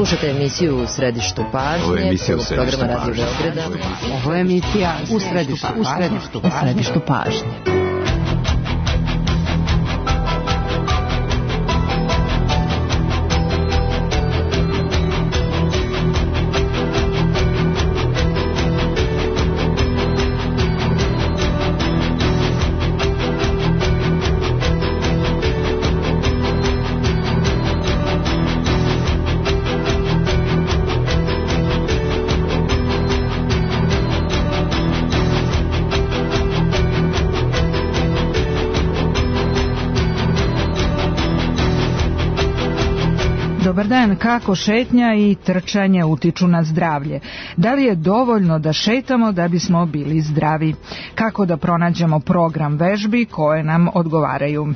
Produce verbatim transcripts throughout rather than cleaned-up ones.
Slušajte emisiju U središtu pažnje, prvog programa Radio Beograda. Ovo je emisija U središtu, u središtu, u središtu pažnje. Dobar dan, kako šetnja i trčanje utiču na zdravlje? Da li je dovoljno da šetamo da bismo bili zdravi? Kako da pronađemo program vežbi koje nam odgovaraju?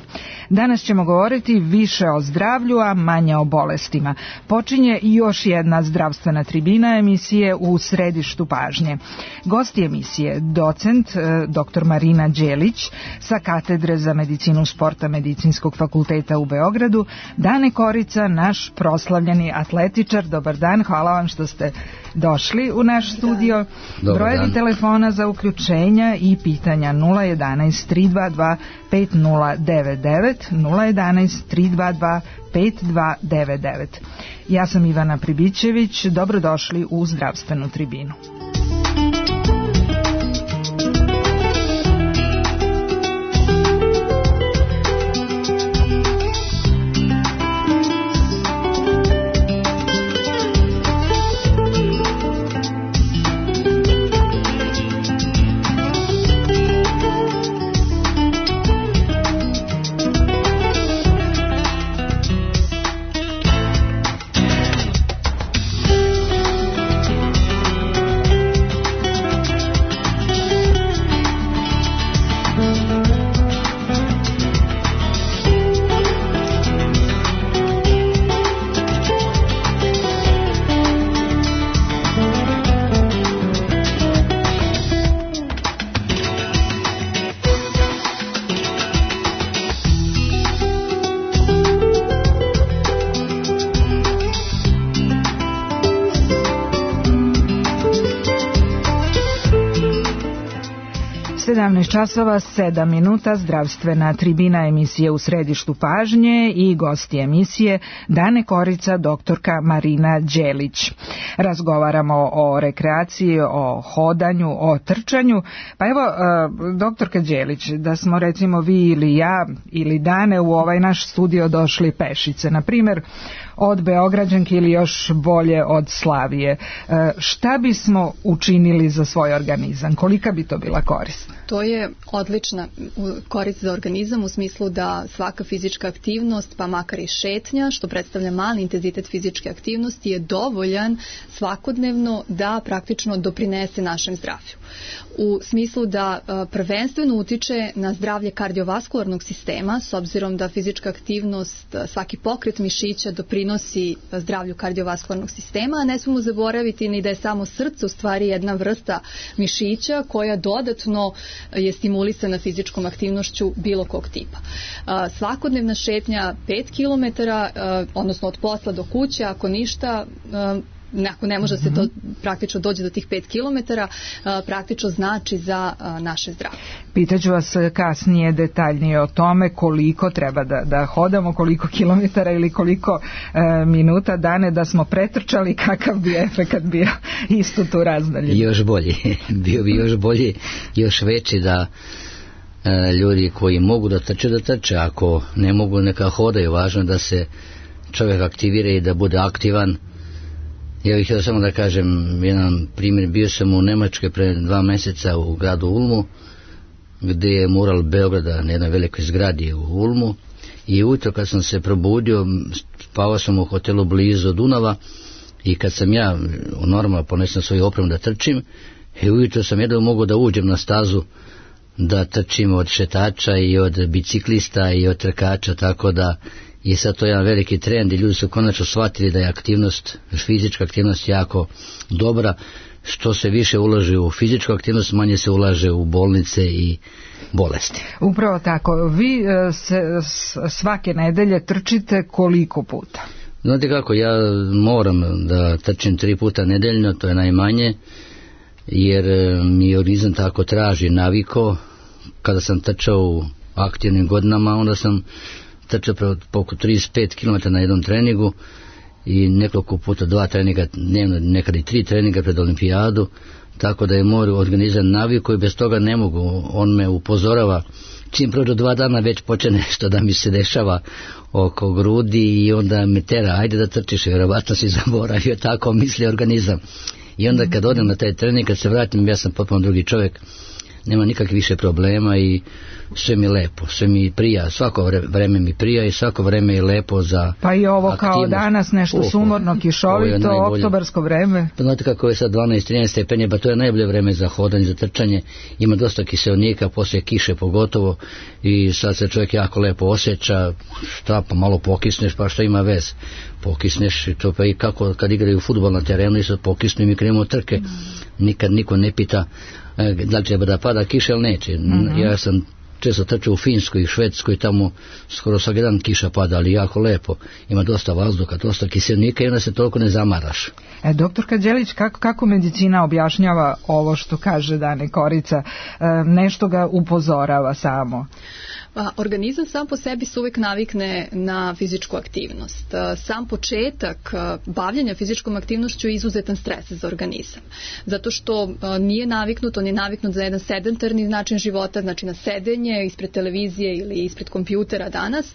Danas ćemo govoriti više o zdravlju, a manje o bolestima. Počinje još jedna zdravstvena tribina emisije U središtu pažnje. Gosti emisije, docent dr Marina Đelić sa katedre za medicinu sporta Medicinskog fakulteta u Beogradu, Dane Korica, naš proslavljeni atletičar. Dobar dan, hvala vam što ste došli u naš studio. Brojevi telefona za uključenja i pitanja nula jedanaest tri dva dva pet nula devet devet, nula jedanaest tri dva dva pet dva devet devet. Ja sam Ivana Pribićević, dobrodošli u zdravstvenu tribinu. sedamnaest časova sedam minuta, zdravstvena tribina emisije U središtu pažnje i gosti emisije Dane Korica, doktorka Marina Đelić. Razgovaramo o rekreaciji, o hodanju, o trčanju. Pa evo, doktorka Đelić, da smo recimo vi ili ja ili Dane u ovaj naš studio došli pešice, na primjer od Beograđanke ili još bolje od Slavije, šta bismo učinili za svoj organizam? Kolika bi to bila korist? To je odlična korist za organizam u smislu da svaka fizička aktivnost, pa makar i šetnja, što predstavlja mali intenzitet fizičke aktivnosti, je dovoljan svakodnevno da praktično doprinese našem zdravlju. U smislu da prvenstveno utiče na zdravlje kardiovaskularnog sistema, s obzirom da fizička aktivnost, svaki pokret mišića doprinosi zdravlju kardiovaskularnog sistema, a ne smemo zaboraviti ni da je samo srce u stvari jedna vrsta mišića koja dodatno je stimulisana fizičkom aktivnošću bilo kog tipa. Svakodnevna šetnja pet kilometara, odnosno od posla do kuće, ako ništa, ako ne može se to praktično dođe do tih pet kilometara, praktično znači za naše zdravlje. Pitaću vas kasnije detaljnije o tome koliko treba da, da hodamo, koliko kilometara ili koliko e, minuta, Dane, da smo pretrčali, kakav bi efekat bio isto tu razdalje. Još bolji, bio bi još bolji, još veći da e, ljudi koji mogu da trče, da trče, ako ne mogu neka hodaju, važno da se čovjek aktivira i da bude aktivan. Ja bih htio samo da kažem jedan primjer. Bio sam u Nemačkoj pre dva mjeseca u gradu Ulmu, gdje je mural Beograda na jednoj velikoj zgradi u Ulmu, i ujutro kad sam se probudio, spavao sam u hotelu blizu Dunava, i kad sam ja normalno ponesem svoju opremu da trčim, i ujutro sam jedno mogao da uđem na stazu da trčim od šetača i od biciklista i od trkača, tako da je sad to jedan veliki trend i ljudi su konačno shvatili da je aktivnost, fizička aktivnost jako dobra. Što se više ulaže u fizičku aktivnost, manje se ulaže u bolnice i bolesti. Upravo tako. Vi se svake nedelje trčite koliko puta? Znate kako, ja moram da trčim tri puta nedeljno, to je najmanje, jer mi organizam tako traži naviko. Kada sam trčao u aktivnim godinama, onda sam trčao oko trideset pet kilometara na jednom treningu i nekoliko puta dva treninga dnevno, nekad i tri treninga pred olimpijadu, tako da je moj organizam naviko i bez toga ne mogu. On me upozorava, čim prođu dva dana već počne nešto da mi se dešava oko grudi i onda me tera, ajde da trčiš, vjerovatno si zaboravio, tako misli organizam. I onda kad odem na taj trening, kad se vratim, ja sam potpuno drugi čovjek, nema nikakvih više problema i sve mi lepo, sve mi prija, svako vreme mi prija i svako vreme je lepo za pa i ovo aktivnost. Kao danas nešto oh, sumorno, kišovito, oktobarsko vreme. Pa znate kako je sad dvanaest trinaest stepeni, pa to je najbolje vreme za hodanje, za trčanje, ima dosta kiseonika, poslije kiše pogotovo i sad se čovjek jako lepo osjeća, šta pa malo pokisneš, pa što ima vez, pokisneš i to pa i kako kad igraju fudbal na terenu i sad pokisnu i mi krenemo trke, nikad niko ne pita da li treba da pada kiša ili neće. Mm-hmm. Ja sam često trčao u Finskoj i Švedskoj, tamo skoro svaki dan kiša pada, ali jako lepo. Ima dosta vazduha, dosta kiselnika i onda se toliko ne zamaraš. E, doktorka Đelić, kako, kako medicina objašnjava ovo što kaže Dane Korica? E, nešto ga upozorava samo? Pa, organizam sam po sebi se uvijek navikne na fizičku aktivnost. Sam početak bavljenja fizičkom aktivnošću je izuzetan stres za organizam. Zato što nije naviknut, on je naviknut za jedan sedentarni način života, znači na sedenje ispred televizije ili ispred kompjutera danas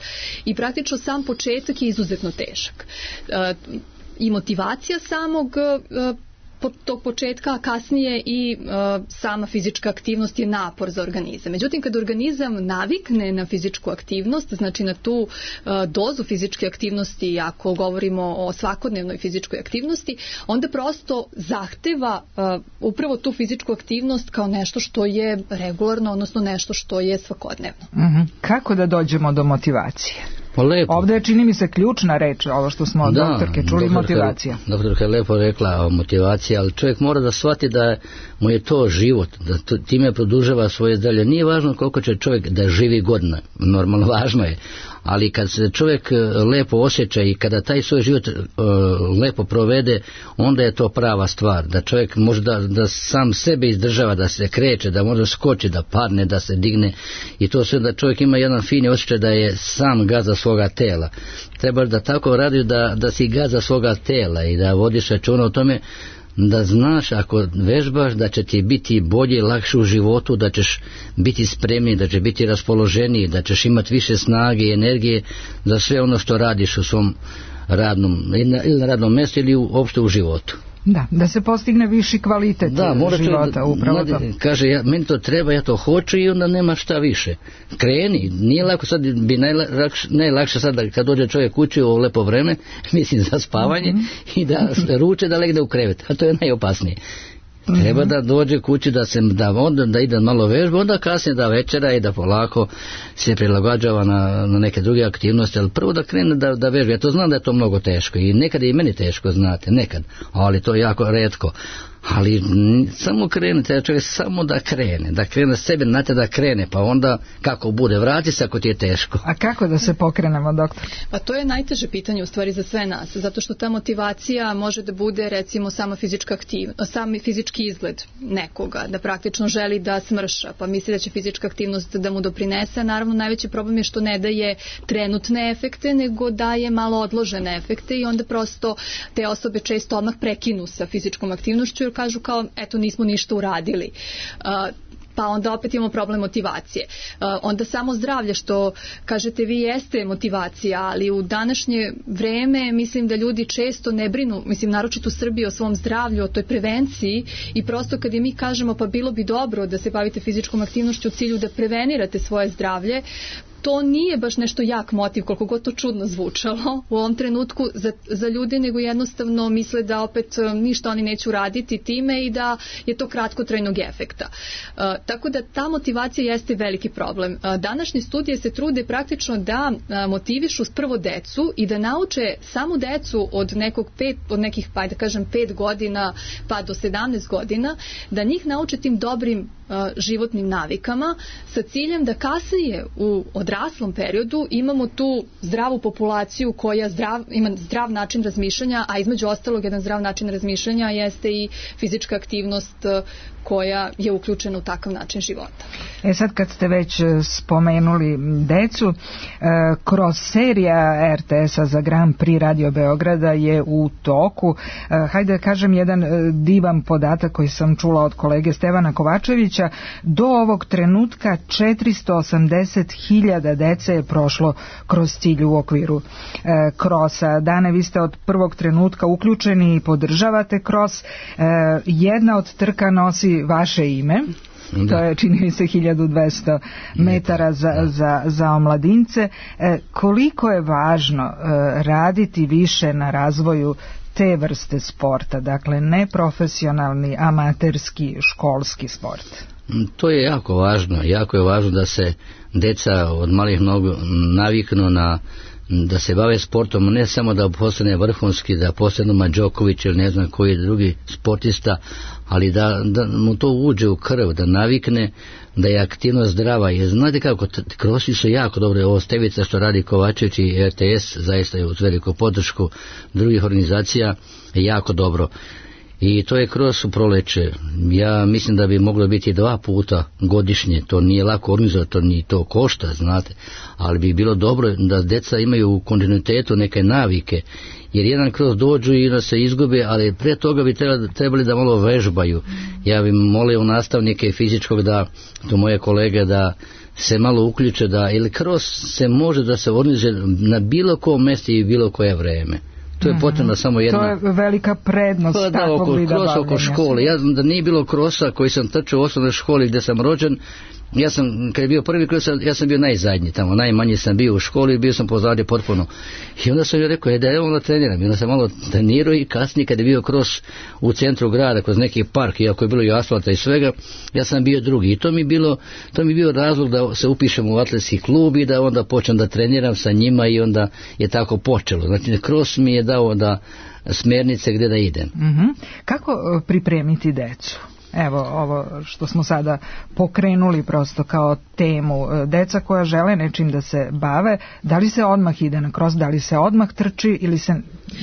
i praktično sam početak je izuzetno težak. I motivacija samog tog početka, a kasnije i uh, sama fizička aktivnost je napor za organizam. Međutim, kad organizam navikne na fizičku aktivnost, znači na tu uh, dozu fizičke aktivnosti, ako govorimo o svakodnevnoj fizičkoj aktivnosti, onda prosto zahteva uh, upravo tu fizičku aktivnost kao nešto što je regularno, odnosno nešto što je svakodnevno. Uh-huh. Kako da dođemo do motivacije? Pa lepo. Ovdje je, čini mi se, ključna reč, ovo što smo od da, doktorke čuli, doktorka, motivacija. Doktorka je lepo rekla o motivaciji, ali čovjek mora da shvati da mu je to život, da to, time produžava svoje zdravlje. Nije važno koliko će čovjek da živi godina, normalno važno je, ali kad se čovjek lepo osjeća i kada taj svoj život uh, lepo provede, onda je to prava stvar, da čovjek može da, da sam sebe izdržava, da se kreće, da može skoči, da padne, da se digne i to sve da čovjek ima jedan fini osjećaj da je sam gazda svoga tela. Trebaš da tako radiš da, da si gazda svoga tela i da vodiš računa o tome da znaš ako vežbaš da će ti biti bolje i lakše u životu, da ćeš biti spremniji, da će biti raspoloženiji, da ćeš imati više snage i energije za sve ono što radiš u svom radnom, ili na radnom mjestu ili uopšte u životu. Da, da se postigne viši kvalitet da, života, da, upravo to. Kaže, ja, meni to treba, ja to hoću i onda nema šta više. Kreni, nije lako, sad bi najlakše, najlakše sad da kad dođe čovjek kući u ovo lepo vreme, mislim za spavanje mm-hmm. i da ruče da legne u krevet, a to je najopasnije. Treba da dođe kući da se da onda da ide malo vežba, onda kasnije da večera i da polako se prilagođava na, na neke druge aktivnosti, ali prvo da krene da, da vežba. Ja to znam da je to mnogo teško i nekad je i meni teško, znate, nekad, ali to je jako retko. Ali samo krene, treba čovjek samo da krene, da krene sebe, znate da krene, pa onda kako bude, vrati se ako ti je teško. A kako da se pokrenemo, doktor? Pa to je najteže pitanje u stvari za sve nas, zato što ta motivacija može da bude recimo sama fizička aktivnost, sami fizički izgled nekoga, da praktično želi da smrša, pa misli da će fizička aktivnost da mu doprinese, a naravno najveći problem je što ne daje trenutne efekte, nego daje malo odložene efekte i onda prosto te osobe često odmah prekinu sa fizičkom aktivnošću, kažu kao, eto, nismo ništa uradili. Uh, pa onda opet imamo problem motivacije. Uh, onda samo zdravlje, što kažete vi, jeste motivacija, ali u današnje vreme mislim da ljudi često ne brinu, mislim naročito u Srbiji, o svom zdravlju, o toj prevenciji i prosto kad je mi kažemo pa bilo bi dobro da se bavite fizičkom aktivnošću u cilju da prevenirate svoje zdravlje, to nije baš nešto jak motiv, koliko god to čudno zvučalo u ovom trenutku za, za ljude, nego jednostavno misle da opet ništa oni neću raditi time i da je to kratkotrajnog efekta. Uh, tako da ta motivacija jeste veliki problem. Uh, današnje studije se trude praktično da uh, motivišu prvo decu i da nauče samu decu od nekog pet, od nekih, pa da kažem, pet godina pa do sedamnaest godina, da njih nauče tim dobrim životnim navikama sa ciljem da kasnije u odraslom periodu imamo tu zdravu populaciju koja zdrav, ima zdrav način razmišljanja, a između ostalog jedan zdrav način razmišljanja jeste i fizička aktivnost koja je uključena u takav način života. E sad kad ste već spomenuli decu, kroz serija er te es-a za Grand Prix Radio Beograda je u toku, hajde da kažem jedan divan podatak koji sam čula od kolege Stevana Kovačevića, do ovog trenutka četiristo osamdeset hiljada dece je prošlo kroz cilj u okviru krosa. Dane, vi ste od prvog trenutka uključeni i podržavate kros. Jedna od trka nosi vaše ime. Da. To je, čini mi se, hiljadu dvesta metara za, za, za omladince. E, koliko je važno e, raditi više na razvoju te vrste sporta, dakle neprofesionalni, amaterski, školski sport? To je jako važno. Jako je važno da se deca od malih nogu naviknu na da se bave sportom, ne samo da postane vrhunski, da postane Novak Đoković ili ne znam koji drugi sportista, ali da, da mu to uđe u krv, da navikne da je aktivnost zdrava. Jer znate kako, krosi su jako dobre. Ovo Stevica što radi Kovačević i er te es, zaista je uz veliku podršku drugih organizacija, je jako dobro. I to je kroz u proleće. Ja mislim da bi moglo biti dva puta godišnje. To nije lako organizovati, to ni to košta, znate. Ali bi bilo dobro da deca imaju u kontinuitetu neke navike. Jer jedan kroz dođu i da se izgube, ali pre toga bi trebali da malo vežbaju. Ja bih molio nastavnike fizičkog da, to moje kolege, da se malo uključe, da ili kroz se može da se organizuje na bilo kom mjestu i bilo koje vreme. To je potrebno samo jedna... To je velika prednost pa, takvog oko, vida bavljenja. Oko škole. Ja da nije bilo krosa koji sam trčao u osnovnoj školi gdje sam rođen, ja sam, kad je bio prvi kros, ja sam bio najzadnji tamo, najmanji sam bio u školi i bio sam pozadnje potpuno. I onda sam joj rekao, je da evo onda treniram. I onda sam malo trenirao i kasnije kad je bio kros u centru grada, kroz neki park, iako je bilo i asfalta i svega, ja sam bio drugi. I to mi bilo, to mi bio razlog da se upišem u atletski klub i da onda počnem da treniram sa njima i onda je tako počelo. Znači, kros mi je dao da smjernice gdje da idem. Mm-hmm. Kako pripremiti decu? Evo ovo što smo sada pokrenuli prosto kao temu, deca koja žele nečim da se bave, da li se odmah ide na kros, da li se odmah trči ili se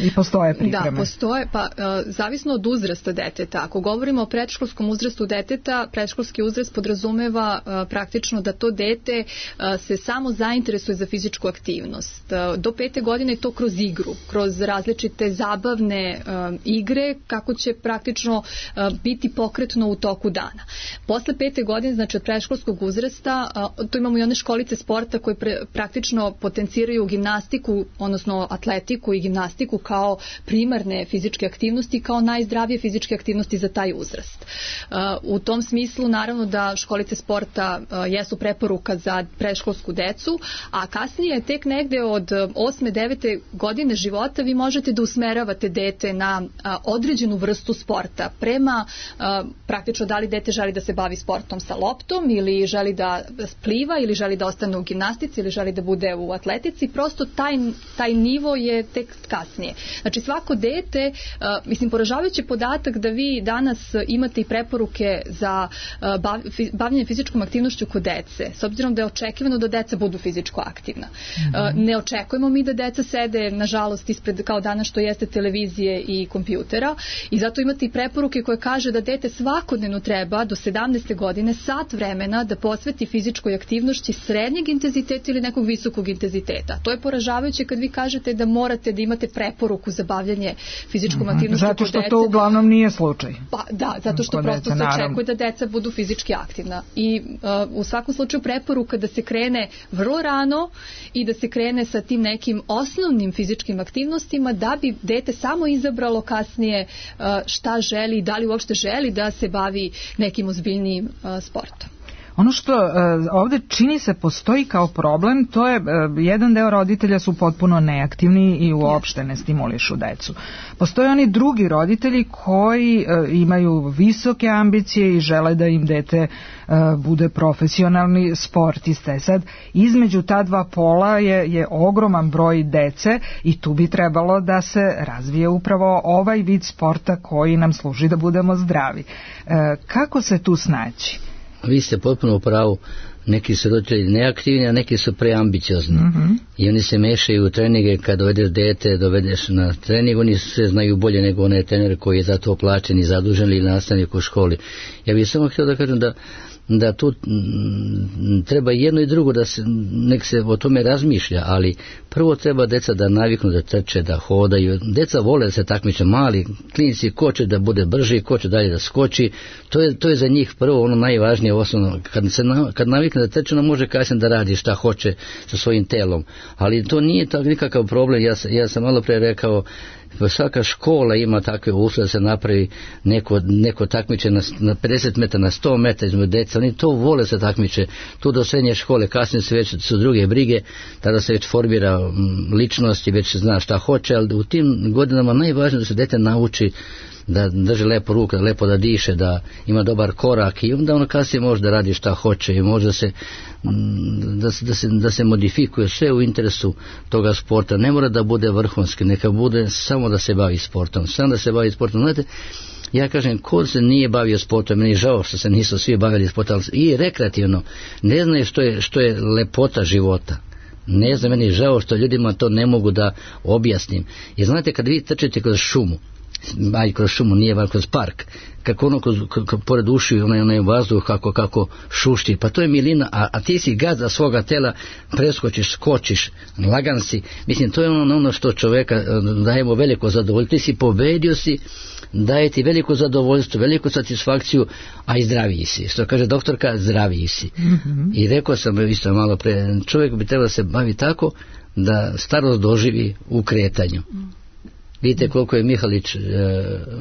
i postoje pripreme? Da, postoje, pa uh, zavisno od uzrasta deteta. Ako govorimo o predškolskom uzrastu deteta, predškolski uzrast podrazumeva uh, praktično da to dete uh, se samo zainteresuje za fizičku aktivnost. Uh, do pete godine je to kroz igru, kroz različite zabavne uh, igre, kako će praktično uh, biti pokretno u toku dana. Posle pete godine, znači od predškolskog uzrasta, tu imamo i one školice sporta koje pre, praktično potenciraju gimnastiku, odnosno atletiku i gimnastiku kao primarne fizičke aktivnosti, kao najzdravije fizičke aktivnosti za taj uzrast. U tom smislu, naravno da školice sporta jesu preporuka za predškolsku decu, a kasnije tek negde od osme devete godine života vi možete da usmeravate dete na određenu vrstu sporta prema praktično da li dete želi da se bavi sportom sa loptom ili želi da pliva ili želi da ostane u gimnastici ili želi da bude u atletici, prosto taj, taj nivo je tek kasnije. Znači svako dete, uh, mislim poražavajući podatak da vi danas imate i preporuke za uh, bav, fi, bavljanje fizičkom aktivnošću kod dece, s obzirom da je očekivano da deca budu fizičko aktivna. Mm-hmm. Uh, ne očekujemo mi da deca sede, nažalost, ispred kao danas što jeste televizije i kompjutera i zato imate i preporuke koje kaže da dete svakodnevno treba do sedamnaeste godine sat vremena da posveti fizičkoj aktivnosti srednjeg intenziteta ili nekog visokog intenziteta. To je poražavajuće kad vi kažete da morate da imate preporuku za bavljanje fizičkom mm-hmm. aktivnošću zato što dece. To uglavnom nije slučaj. Pa da, zato što prosto se očekuje da deca budu fizički aktivna. I uh, u svakom slučaju preporuka da se krene vrlo rano i da se krene sa tim nekim osnovnim fizičkim aktivnostima da bi dete samo izabralo kasnije uh, šta želi i da li uopšte želi da se bavi nekim ozbiljnijim uh, sportom. Ono što uh, ovdje čini se postoji kao problem, to je uh, jedan deo roditelja su potpuno neaktivni i uopšte ne stimulišu decu. Postoje oni drugi roditelji koji uh, imaju visoke ambicije i žele da im dete uh, bude profesionalni sportista. Sad, između ta dva pola je, je ogroman broj dece i tu bi trebalo da se razvije upravo ovaj vid sporta koji nam služi da budemo zdravi. Uh, kako se tu snaći? vi ste potpuno u pravu. Neki su roditelji neaktivni, a neki su preambiciozni. Mm-hmm. I oni se mešaju u treninge. Kad dovedeš dete, dovedeš na trening, oni sve znaju bolje nego onaj trener koji je za to plaćen i zadužen ili nastavnik u školi. Ja bih samo htio da kažem da da tu m, treba jedno i drugo da se, nek se o tome razmišlja, ali prvo treba deca da naviknu da trče, da hodaju. Deca vole da se takmiče, mali klinici, ko će da bude brži, ko će dalje da skoči, to je, to je za njih prvo ono najvažnije osnovno. Kad, se na, kad navikne da trče, ono može kasnije da radi šta hoće sa svojim telom, ali to nije tak nikakav problem. Ja, ja sam malo pre rekao, svaka škola ima takve uslove da se napravi neko, neko takmiče na, na pedeset metara, na sto metara između deca. Oni to vole se takmiče. Tu do srednje škole, kasnije su već su druge brige, tada se već formira ličnost i već se zna šta hoće, ali u tim godinama najvažnije da se dete nauči da drži lepo ruku, da lepo da diše, da ima dobar korak i onda ono kasnije može da radi šta hoće i može se da se, da se, da se modifikuje sve u interesu toga sporta. Ne mora da bude vrhunski, neka bude samo da se bavi sportom, samo da se bavi sportom. Znate, ja kažem, ko se nije bavio sportom, meni je žao što se nisu svi bavili sportom, i rekreativno, ne znaju što je, što je lepota života. Ne znam, meni je žao što ljudima to ne mogu da objasnim. Jer znate, kad vi trčite kroz šumu, aj kroz šumu, nije van kroz park, kako ono kroz, kako, pored uši onaj, onaj vazduh kako, kako šušti, pa to je milina, a, a ti si gazda svoga tela, preskočiš, skočiš, lagan si, mislim, to je ono, ono što čoveka dajemo veliko zadovoljstvo, ti si pobedio si, daje ti veliko zadovoljstvo, veliku satisfakciju, a i zdraviji si, što kaže doktorka, zdraviji si. Mm-hmm. I rekao sam isto malo pre, čovjek bi trebao se bavi tako da starost doživi u kretanju. Vidite koliko je Mihalić, eh,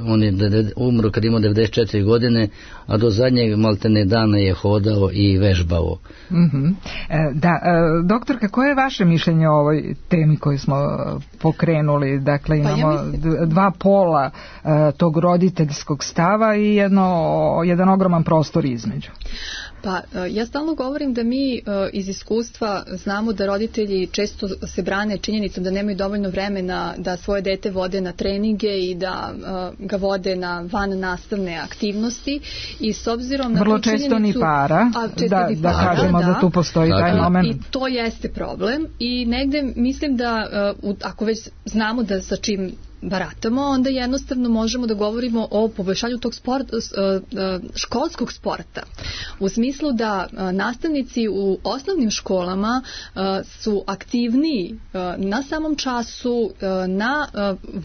on je umro kad imao devedeset četiri godine, a do zadnjeg maltene dana je hodao i vežbao. Mm-hmm. E, da, e, doktorka, koje je vaše mišljenje o ovoj temi koju smo pokrenuli? Dakle, imamo pa ja mislim... dva pola e, tog roditeljskog stava i jedno, jedan ogroman prostor između. Pa ja stalno govorim da mi iz iskustva znamo da roditelji često se brane činjenicom da nemaju dovoljno vremena da svoje dete vode na treninge i da ga vode na van nastavne aktivnosti i s obzirom na vrlo često ni para, da, ni para, da kažemo da, da tu postoji taj moment. I to jeste problem i negde mislim da ako već znamo da sa čim baratamo, onda jednostavno možemo da govorimo o poboljšanju tog sport, školskog sporta. U smislu da nastavnici u osnovnim školama su aktivniji na samom času, na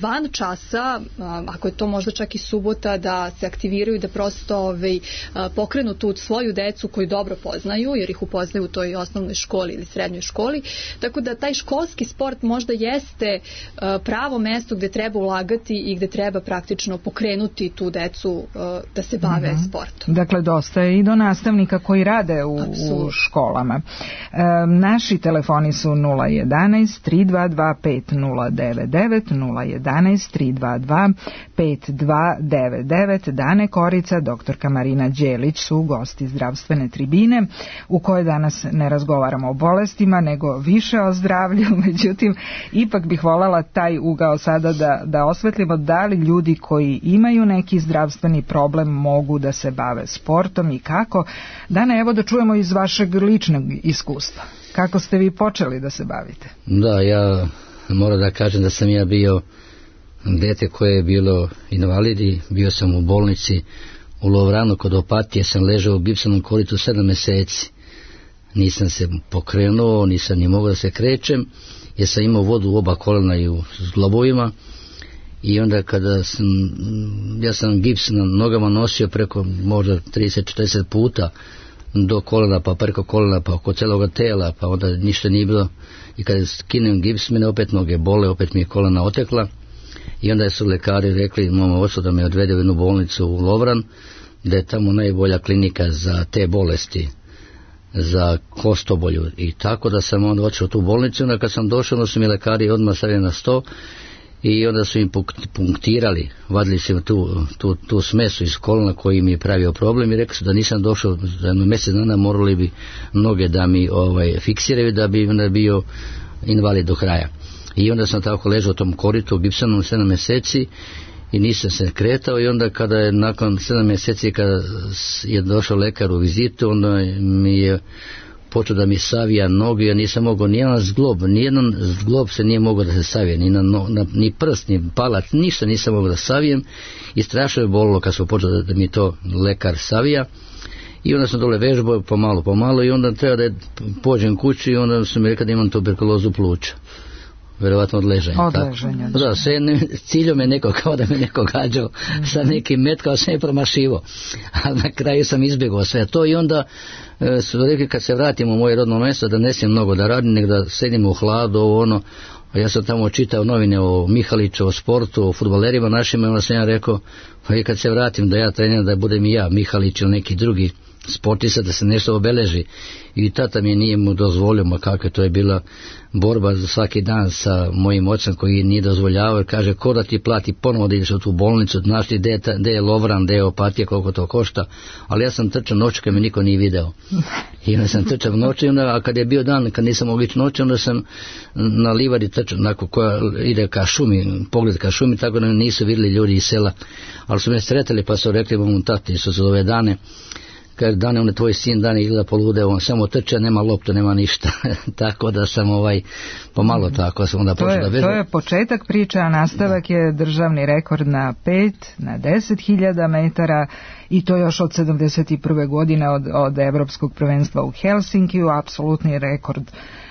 van časa, ako je to možda čak i subota, da se aktiviraju, da prosto ovaj, pokrenu tu svoju decu koju dobro poznaju, jer ih upoznaju u toj osnovnoj školi ili srednjoj školi. Tako da taj školski sport možda jeste pravo mesto gde treba ulagati i gde treba praktično pokrenuti tu decu uh, da se bave mm-hmm. sportom. Dakle, dosta je i do nastavnika koji rade u, u školama. E, naši telefoni su nula jedanaest tri dva dva pet nula devet devet, nula jedanaest tri dva dva pet dva devet devet. Dane Korica, doktorka Marina Đelić su gosti zdravstvene tribine u kojoj danas ne razgovaramo o bolestima, nego više o zdravlju. Međutim, ipak bih voljela taj ugao sada da, da osvetlimo da li ljudi koji imaju neki zdravstveni problem mogu da se bave sportom i kako. Dana, evo da čujemo iz vašeg ličnog iskustva. Kako ste vi počeli da se bavite? Da, ja moram da kažem da sam ja bio dete koje je bilo invalidi, bio sam u bolnici u Lovranu kod Opatije, sam ležao u gipsanom kolitu sedam meseci. Nisam se pokrenuo, nisam ni mogao da se krećem, jer sam imao vodu u oba kolena i u zglobovima. I onda kada sam, ja sam gips na nogama nosio preko možda trideset četrdeset puta do kolena, pa preko kolena, pa oko celoga tela, pa onda ništa nije bilo. I kada skinem gips, mene opet noge bole, opet mi je kolena otekla. I onda su lekari rekli mom ocu da me odvede u jednu bolnicu u Lovran, da je tamo najbolja klinika za te bolesti, za kostobolju. I tako da sam onda otišao u tu bolnicu, onda kad sam došao, onda su mi lekari odmah stavili na sto i onda su im punktirali, vadili su tu, tu, tu smesu iz kolena koji mi je pravio problem i rekli su da nisam došao za jedno mjesec dana, morali bi noge da mi ovaj, fiksiraju da bi onda bio invalid do kraja. I onda sam tako ležao u tom koritu, gipsanom sedam mjeseci i nisam se kretao i onda kada je nakon sedam mjeseci kada je došao lekar u vizitu, onda mi je počeo da mi savija noge, ja nisam mogao nijedan zglob, nijedan zglob se nije mogao da se savije, ni, na, na, ni prst, ni palac, ništa nisam mogao da savijem i strašno je bolilo kad smo počeli da, da mi to lekar savija. I onda sam dole vežbao pomalo, pomalo i onda treba da pođem kući i onda sam mi rekao da imam tuberkulozu pluća. Vjerovatno od leženja. Od leženja. Da, sve ne, ciljom je neko kao da me neko gađao mm-hmm. sa nekim metkao, sve je promašivo. A na kraju sam izbjegao sve to i onda e, su rekli kad se vratim u moje rodno mjesto da ne smijem mnogo da radim, nego da sedim u hladu, ovo ono. A ja sam tamo čitao novine o Mihaliću, o sportu, o fudbalerima našima i onda sam ja rekao, pa i kad se vratim da ja treniram da budem i ja Mihalić ili neki drugi sportista, da se nešto obeleži. I tata mi nije mu dozvolio, ma kako to je bila borba za svaki dan sa mojim ocem koji nije dozvoljavao, jer kaže ko da ti plati ponovo da ideš u tu bolnicu, znaš ti gde je Lovran, gde je opatija, koliko to košta, ali ja sam trčao noću kad me niko nije video i onda sam trčao noću, a kad je bio dan kad nisam mogao ići noću, onda sam na livadi trčao, onako koja ide ka šumi, pogled ka šumi, tako da nisu vidjeli ljudi iz sela, ali su me sretali pa su rekli mom tati, su za ove dane kad dane on je tvoj sin dan izgleda polude, on samo trče, nema loptu, nema ništa. Tako da sam ovaj pomalo tako sam onda počeo da vežbam. To je početak priče, a nastavak da. je državni rekord na pet, na deset hiljada metara i to još od sedamdeset prve godine od, od Evropskog prvenstva u Helsinkiju, apsolutni rekord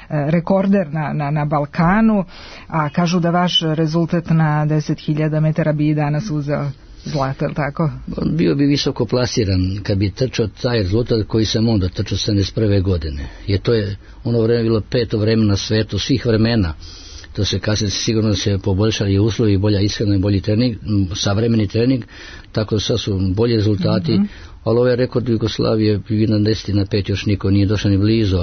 rekorder na, na, na Balkanu, a kažu da vaš rezultat na deset hiljada metara bi i danas uzeo zlato, je tako? Bio bi visoko plasiran kad bi trčao taj rezultat koji sam onda trčao sedamdeset prve godine. Jer to je ono vreme bilo peto vreme na svetu, svih vremena. To se kasnije sigurno se poboljšali uslovi, bolja ishrana i bolji trening, savremeni trening, tako da sad su bolji rezultati, mm-hmm. ali ovaj rekord Jugoslavije bi na deset na pet još niko nije došao ni blizu,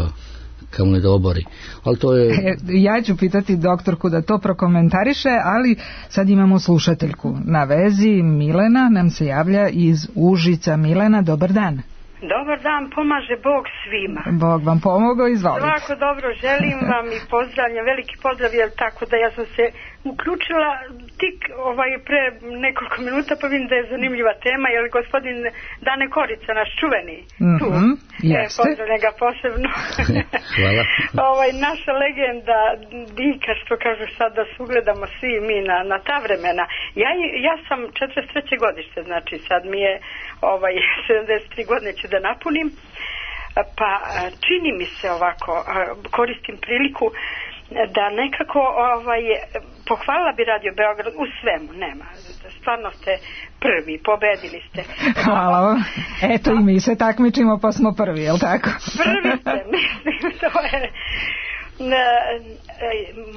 kamo ne da obori. Ali to je... E, ja ću pitati doktorku da to prokomentariše, ali sad imamo slušateljku na vezi. Milena nam se javlja iz Užica. Milena, dobar dan. Dobar dan, pomaže Bog svima. Bog vam pomogao, izvolite. Svako dobro, želim vam i pozdravljam, veliki pozdrav, jer tako da ja sam se uključila tik ovaj pre nekoliko minuta, pa vidim da je zanimljiva tema, jer gospodin Dane Korica, naš čuveni, tu, mm-hmm, e, pozdravljam ga posebno. Hvala. ovaj, naša legenda Dika, što kažu sad da se ugledamo svi mi na, na ta vremena. Ja, ja sam četrdeset treće godište, znači sad mi je ovaj, sedamdeset tri godine ću da napunim, pa čini mi se ovako, koristim priliku da nekako ovaj, pohvalila bi Radio Beograd u svemu, nema, stvarno ste prvi, pobedili ste. Hvala vam, eto i mi se takmičimo pa smo prvi, jel tako? Prvi ste, mislim, to je...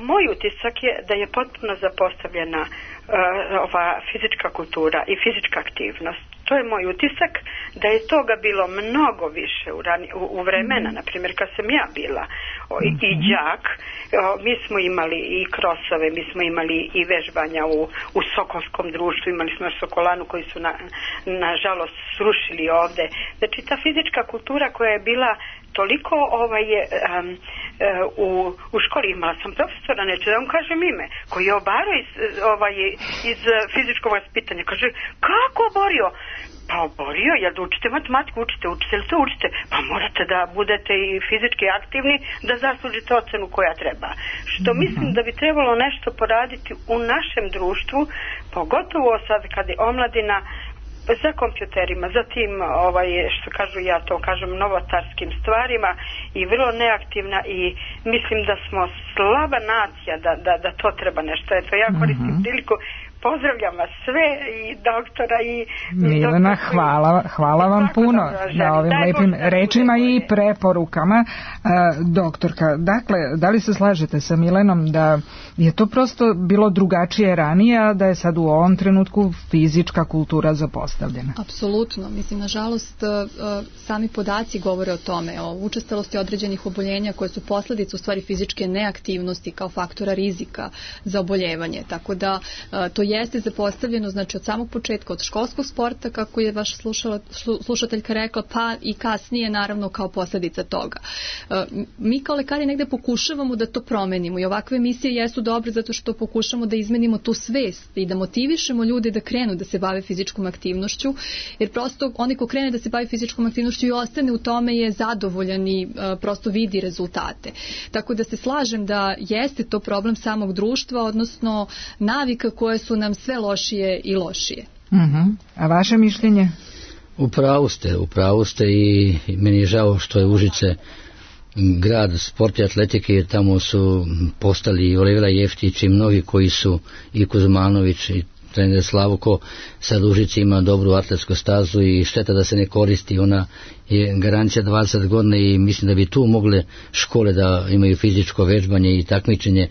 Moj utisak je da je potpuno zapostavljena uh, ova fizička kultura i fizička aktivnost. To je moj utisak, da je toga bilo mnogo više u, rani, u, u vremena, na primjer kad sam ja bila o, i, i đak, o, mi smo imali i krosove, mi smo imali i vežbanja u, u Sokolskom društvu, imali smo Sokolanu koji su na, nažalost srušili ovde. Znači ta fizička kultura koja je bila toliko ovaj, um, u, u školi, imala sam profesora, neću da vam kažem ime, koji je obarao iz, ovaj, iz fizičkog vaspitanja. Kaže, kako oborio? Pa oborio, jel da učite matematiku, učite, učite li to učite? Pa morate da budete i fizički aktivni da zaslužite ocenu koja treba. Što mislim da bi trebalo nešto poraditi u našem društvu, pogotovo sad kad je omladina za kompjuterima, zatim ovaj, što kažu, ja to kažem, novotarskim stvarima i vrlo neaktivna i mislim da smo slaba nacija da, da, da to treba nešto. Eto, ja koristim mm-hmm. priliku, pozdravljam vas sve i doktora i... Milena, hvala, hvala vam puno na ovim Daj lepim Bog, rečima i preporukama. Uh, doktorka, dakle, da li se slažete sa Milenom da je to prosto bilo drugačije ranije, a da je sad u ovom trenutku fizička kultura zapostavljena? Apsolutno. Mislim, nažalost, uh, sami podaci govore o tome, o učestalosti određenih oboljenja koje su posljedice u stvari fizičke neaktivnosti kao faktora rizika za oboljevanje. Tako da uh, to jeste zapostavljeno, znači od samog početka, od školskog sporta, kako je vaša slušala, slušateljka rekla, pa i kasnije naravno kao posljedica toga. Mi kao lekari negde pokušavamo da to promenimo i ovakve emisije jesu dobre zato što pokušamo da izmenimo tu svest i da motivišemo ljude da krenu da se bave fizičkom aktivnošću, jer prosto oni ko krene da se bavi fizičkom aktivnošću i ostane u tome je zadovoljan i prosto vidi rezultate. Tako da se slažem da jeste to problem samog društva, odnosno navika koje su nam sve lošije i lošije. Uh-huh. A vaše mišljenje? Upravo ste, upravo ste i meni je žao što je Užice grad sporta i atletike, jer tamo su postali i Olivera Jeftić i mnogi koji su, i Kuzmanović i trener Slavko. Sad Užice ima dobru atletsku stazu i šteta da se ne koristi, ona je garancija dvadeset godina i mislim da bi tu mogle škole da imaju fizičko vežbanje i takmičenje,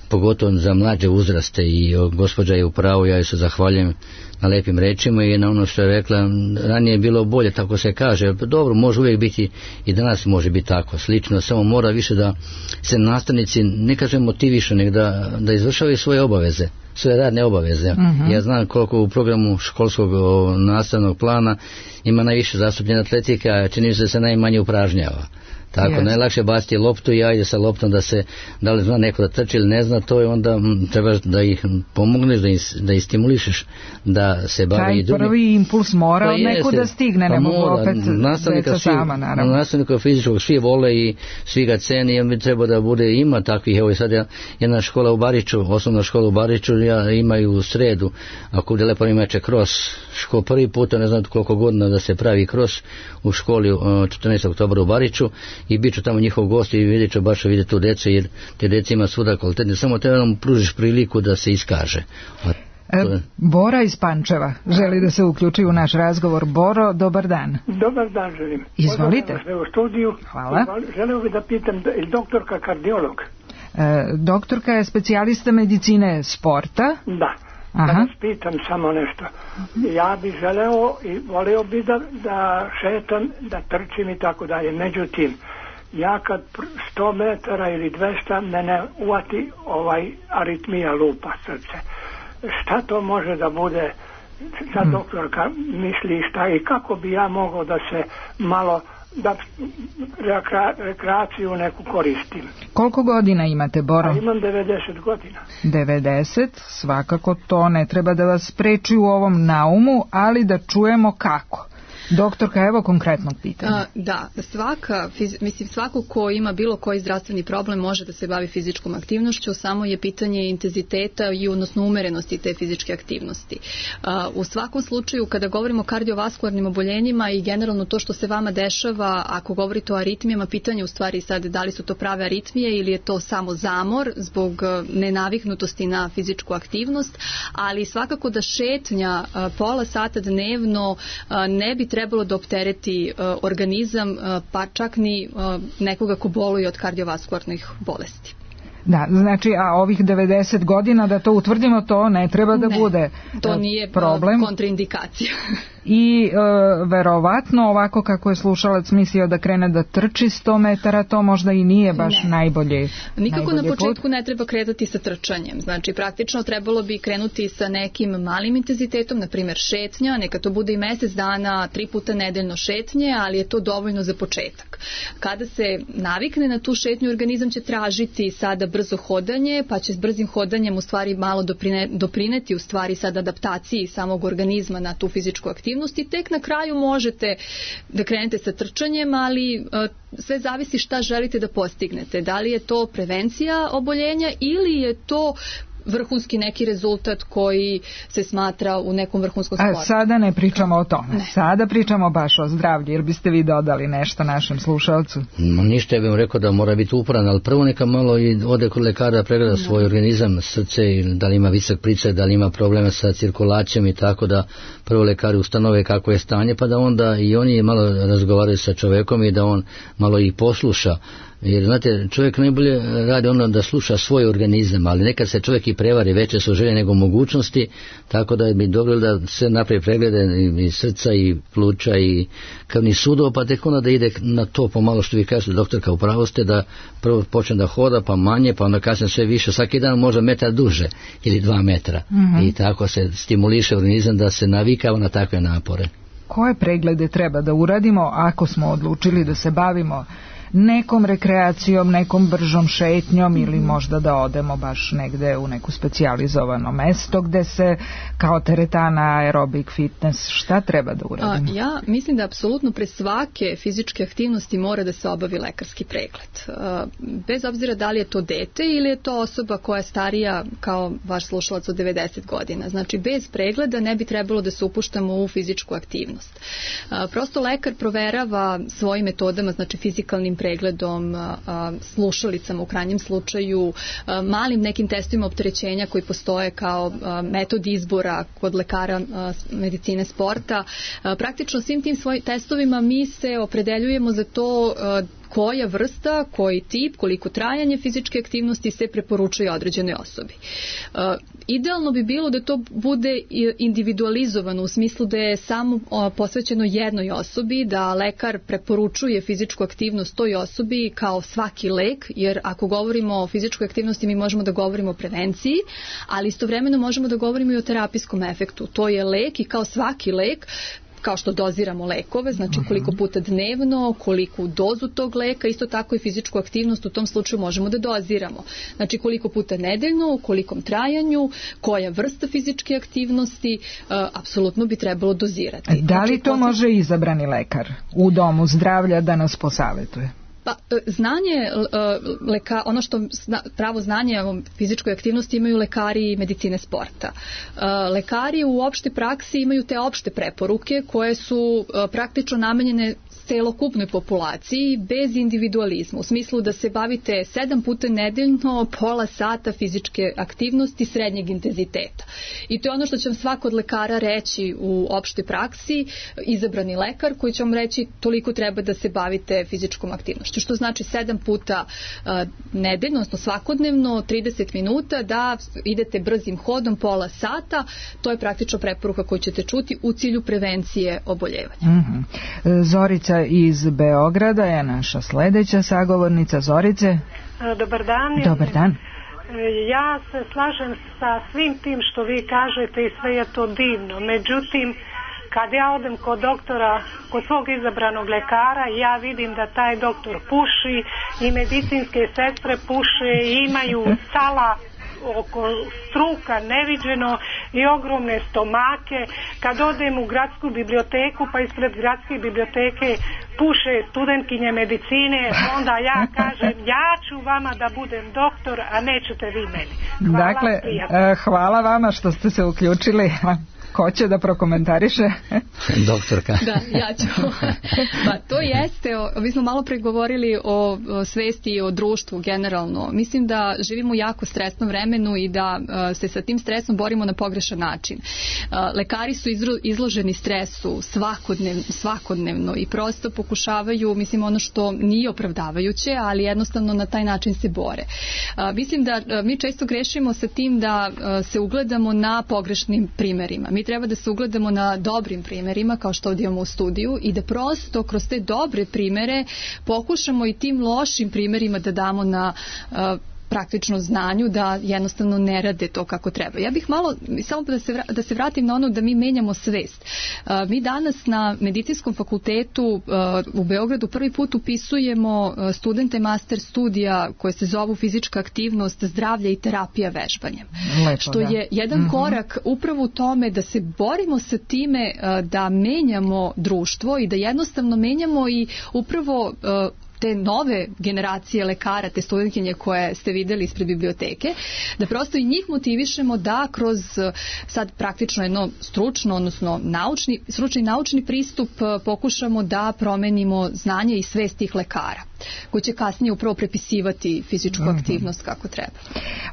pogotovo za mlađe uzraste, i gospođa je u pravu, ja joj se zahvaljujem na lepim rečima i na ono što je rekla. Ranije je bilo bolje, tako se kaže. Dobro, može uvijek biti i danas može biti tako slično, samo mora više da se nastavnici ne kažem motivišu, nego da, da izvršavaju svoje obaveze, svoje radne obaveze. Uh-huh. Ja znam koliko u programu školskog o, nastavnog plana ima najviše zastupljena atletika, a čini se da se najmanje upražnjava. Tako, yes. Najlakše baciti loptu i ajde sa loptom da se, da li zna neko da trči ili ne zna, to je onda m, trebaš da ih pomogneš, da ih, da ih stimulišeš, da se bave i drugi. Taj prvi impuls mora pa od neku da stigne, pa ne mogu opet deca sama, naravno. Nastavnika fizičkog svi vole i svi ga ceni, i on bi trebao da bude, ima takvih, evo i sad ja, jedna škola u Bariču, osnovna škola u Bariču, ja imaju u sredu, ako bude lepo imaće cross, ško, prvi puta, ne znam koliko godina da se pravi cross u školi četrnaestog oktobra u Bariču, i bit ću tamo njihov gost i vidjet ću baš vidjeti tu djecu, jer te djece ima svuda kvalitetne, samo treba nam pružiš priliku da se iskaže. A e, Bora iz Pančeva želi da se uključi u naš razgovor. Boro, dobar dan. Dobar dan želim. Izvolite. U studiju. Hvala. Želeo bih da pitam, je doktorka kardiolog? E, doktorka je specijalista medicine sporta. Da. Aha. Da vas pitam samo nešto. Ja bih želeo i voleo bih da, da šetam, da trčim i tako dalje. Međutim, ja kad sto metara ili dvesta mene uvati ovaj aritmija, lupa srce. Šta to može da bude? Sad hmm. doktorka misli šta i kako bi ja mogao da se malo da rekra, rekreaciju neku koristim. Koliko godina imate, Boro? A imam devedeset godina. devedeset, svakako to ne treba da vas spreči u ovom naumu, ali da čujemo kako. Doktorka, evo konkretnog pitanja. A, da, svaka, fiz, mislim svako ko ima bilo koji zdravstveni problem može da se bavi fizičkom aktivnošću, samo je pitanje intenziteta i odnosno umerenosti te fizičke aktivnosti. A, u svakom slučaju, kada govorimo o kardiovaskularnim oboljenjima i generalno to što se vama dešava, ako govorite o aritmijama, pitanje u stvari sad da li su to prave aritmije ili je to samo zamor zbog nenaviknutosti na fizičku aktivnost, ali svakako da šetnja a, pola sata dnevno a, ne bi trebalo da optereti uh, organizam, uh, pa čak ni uh, nekoga ko boluje od kardiovaskularnih bolesti. Da, znači, a ovih devedeset godina, da to utvrdimo, to ne treba da ne, bude to nije problem. Kontraindikacija. I e, verovatno ovako kako je slušalac mislio da krene da trči sto metara, to možda i nije baš ne. najbolje. Nikako najbolje na početku put. Ne treba kretati sa trčanjem. Znači, praktično trebalo bi krenuti sa nekim malim intenzitetom, na primjer šetnja, neka to bude i mjesec dana, tri puta nedeljno šetnje, ali je to dovoljno za početak. Kada se navikne na tu šetnju, organizam će tražiti sada brzo hodanje, pa će s brzim hodanjem u stvari malo doprine, doprineti u stvari sad adaptaciji samog organizma na tu fizičku aktivnost i tek na kraju možete da krenete sa trčanjem, ali uh, sve zavisi šta želite da postignete. Da li je to prevencija oboljenja ili je to vrhunski neki rezultat koji se smatra u nekom vrhunskom sportu. A sada ne pričamo o tome. Ne. Sada pričamo baš o zdravlju, jer biste vi dodali nešto našem slušalcu. No, ništa, ja bih rekao da mora biti uporan, ali prvo neka malo i ode kod lekara da pregleda svoj organizam, srce, da li ima visok pricaj, da li ima probleme sa cirkulacijom i tako, da prvo lekari ustanove kako je stanje, pa da onda i oni malo razgovaraju sa čovekom i da on malo i posluša Jer, znate, čovjek najbolje radi ono da sluša svoj organizam, ali nekad se čovjek i prevari, veće su želje nego mogućnosti, tako da bi dobro da se napravi preglede i srca i pluća i krvnih sudova, pa tek onda da ide na to pomalo što vi kažete, doktorka, upravo ste, da prvo počne da hoda, pa manje, pa onda kasnije sve više, svaki dan možda metar duže ili dva metra. Mm-hmm. I tako se stimuliše organizam da se navikava na takve napore. Koje preglede treba da uradimo ako smo odlučili da se bavimo nekom rekreacijom, nekom bržom šetnjom ili možda da odemo baš negde u neku specijalizovano mesto gde se kao teretana, aerobik, fitness, šta treba da uradimo? A, ja mislim da apsolutno pre svake fizičke aktivnosti mora da se obavi lekarski pregled. A, bez obzira da li je to dete ili je to osoba koja je starija kao vaš slušalac od devedeset godina. Znači, bez pregleda ne bi trebalo da se upuštamo u fizičku aktivnost. A, prosto lekar proverava svojim metodama, znači fizikalnim pregledom, slušalicama u krajnjem slučaju, malim nekim testovima opterećenja koji postoje kao metod izbora kod lekara medicine sporta. Praktično svim tim svojim testovima mi se opredeljujemo za to koja vrsta, koji tip, koliko trajanje fizičke aktivnosti se preporučuje određenoj osobi. Uh, idealno bi bilo da to bude individualizovano u smislu da je samo uh, posvećeno jednoj osobi, da lekar preporučuje fizičku aktivnost toj osobi kao svaki lek, jer ako govorimo o fizičkoj aktivnosti mi možemo da govorimo o prevenciji, ali istovremeno možemo da govorimo i o terapijskom efektu. To je lek i kao svaki lek, kao što doziramo lekove, znači koliko puta dnevno, koliku dozu tog leka, isto tako i fizičku aktivnost u tom slučaju možemo da doziramo. Znači koliko puta nedeljno, u kolikom trajanju, koja vrsta fizičke aktivnosti, uh, apsolutno bi trebalo dozirati. Da li znači, to može izabrani lekar u domu zdravlja da nas posavetuje? Pa, znanje, leka, ono što pravo znanje o fizičkoj aktivnosti imaju lekari medicine sporta. Lekari u opštoj praksi imaju te opšte preporuke koje su praktično namenjene celokupnoj populaciji bez individualizma, u smislu da se bavite sedam puta nedeljno pola sata fizičke aktivnosti srednjeg intenziteta. I to je ono što će vam svako od lekara reći u opštoj praksi, izabrani lekar koji će vam reći toliko treba da se bavite fizičkom aktivnošću, što znači sedam puta uh, nedeljno, odnosno svakodnevno, trideset minuta da idete brzim hodom pola sata, to je praktično preporuka koju ćete čuti u cilju prevencije oboljevanja. Mm-hmm. Zorica iz Beograda je naša sledeća sagovornica. Zorice. Dobar dan. Dobar dan. Ja se slažem sa svim tim što vi kažete i sve je to divno. Međutim, kad ja odem kod doktora, kod svog izabranog lekara, ja vidim da taj doktor puši i medicinske sestre puše i imaju sala oko struka neviđeno i ogromne stomake. Kad odem u gradsku biblioteku, pa ispred gradske biblioteke puše studentkinje medicine, onda ja kažem ja ću vama da budem doktor, a nećete vi meni. Hvala, dakle, prijatno. Hvala vama što ste se uključili. Ko će da prokomentariše? Doktorka. Da, ja ću. Pa to jeste, mi smo malo pregovorili o, o svesti i o društvu generalno. Mislim da živimo u jako stresnom vremenu i da uh, se sa tim stresom borimo na pogrešan način. Uh, lekari su izro, izloženi stresu svakodnev, svakodnevno i prosto pokušavaju, mislim, ono što nije opravdavajuće, ali jednostavno na taj način se bore. Uh, mislim da uh, mi često grešimo sa tim da uh, se ugledamo na pogrešnim primerima. Mi treba da se ugledamo na dobrim primerima, kao što ovdje imamo u studiju, i da prosto kroz te dobre primere pokušamo i tim lošim primerima da damo na uh, praktično znanju da jednostavno ne rade to kako treba. Ja bih malo, samo da se, da se vratim na ono da mi menjamo svest. Uh, mi danas na medicinskom fakultetu uh, u Beogradu prvi put upisujemo uh, studente master studija koje se zovu fizička aktivnost, zdravlje i terapija vežbanjem. Lepo, što da. je jedan mm-hmm. korak upravo u tome da se borimo sa time uh, da menjamo društvo i da jednostavno menjamo i upravo uh, te nove generacije lekara, te studentkinje koje ste videli ispred biblioteke, da prosto i njih motivišemo da kroz sad praktično jedno stručno, odnosno naučni, stručni naučni pristup pokušamo da promenimo znanje i svest tih lekara. koji će kasnije upravo prepisivati fizičku mm-hmm. aktivnost kako treba.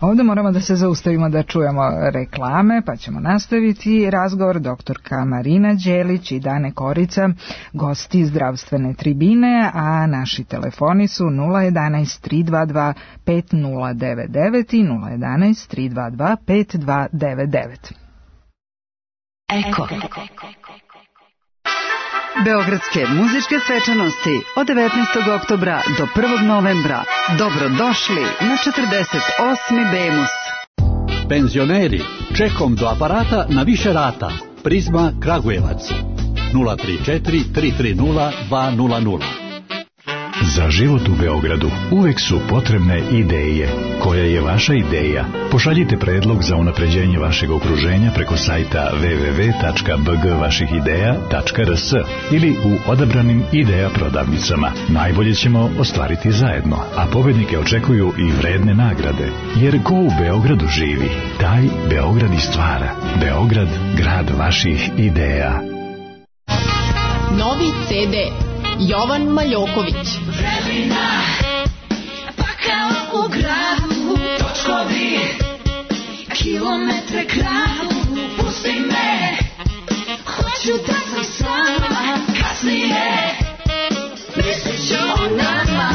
Ovdje moramo da se zaustavimo da čujemo reklame, pa ćemo nastaviti razgovor. Doktorka Marina Đelić i Dane Korica, gosti zdravstvene tribine, a naši telefoni su nula jedanaest tri dva dva pet nula devet devet i nula jedanaest tri dva dva pet dva devet devet. Eko. Beogradske muzičke svečanosti od devetnaestog oktobra do prvog novembra. Dobrodošli na četrdeset osmi Bemus. Penzioneri, čekom do aparata na više rata. Prizma Kragujevac nula tri četiri tri tri nula dva nula nula. Za život u Beogradu uvek su potrebne ideje. Koja je vaša ideja? Pošaljite predlog za unapređenje vašeg okruženja preko sajta w w w tačka b g vaših ideja tačka r s ili u odabranim ideja prodavnicama. Najbolje ćemo ostvariti zajedno, a pobednike očekuju i vredne nagrade. Jer ko u Beogradu živi, taj Beograd i stvara. Beograd, grad vaših ideja. Novi ce de Jovan Maljoković. Vremena, pa kao u gradu, točkovi, kilometre kradu, pusti me, hoću da sam sama, kasnije, mislit ću o nama.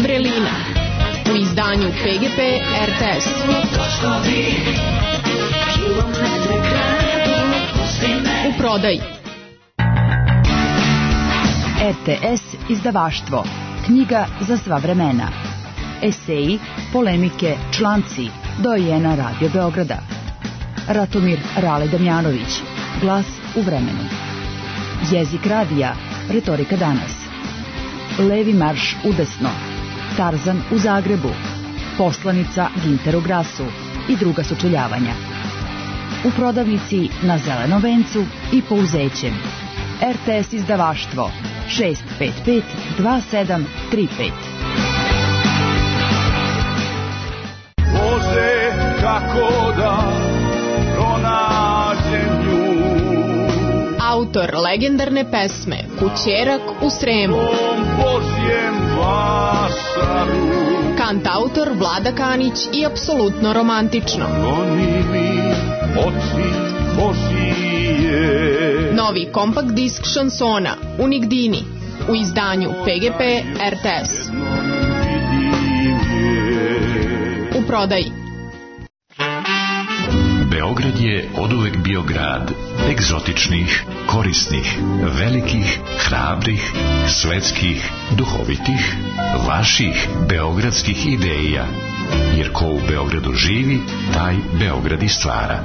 Vrelina, u izdanju pe ge pe er te es. Točkovi, kilometre kradu, pusti me. U prodaji er te es izdavaštvo. Knjiga za sva vremena. Eseji, polemike, članci. Dojena Radio Beograda. Ratomir Rale Damjanović. Glas u vremenu. Jezik radija. Retorika danas. Levi marš udesno. Tarzan u Zagrebu. Poslanica Ginteru Grasu i druga sučeljavanja. U prodavnici na Zelenom vencu i Pouzećem. er te es izdavaštvo šest pet pet dva sedam tri pet. Bože, kako da pronađem nju. Autor legendarne pesme Kućerak u Sremu. Božjem vašaru. Kantautor Vlada Kanić i apsolutno romantično. Goni mi oči Božije. Novi kompakt disk šansona Unigdini u izdanju pe ge pe er te es. U prodaji. Beograd je oduvek bio grad egzotičnih, korisnih, velikih, hrabrih, svetskih, duhovitih, vaših beogradskih ideja. Jer ko u Beogradu živi, taj Beograd i stvara.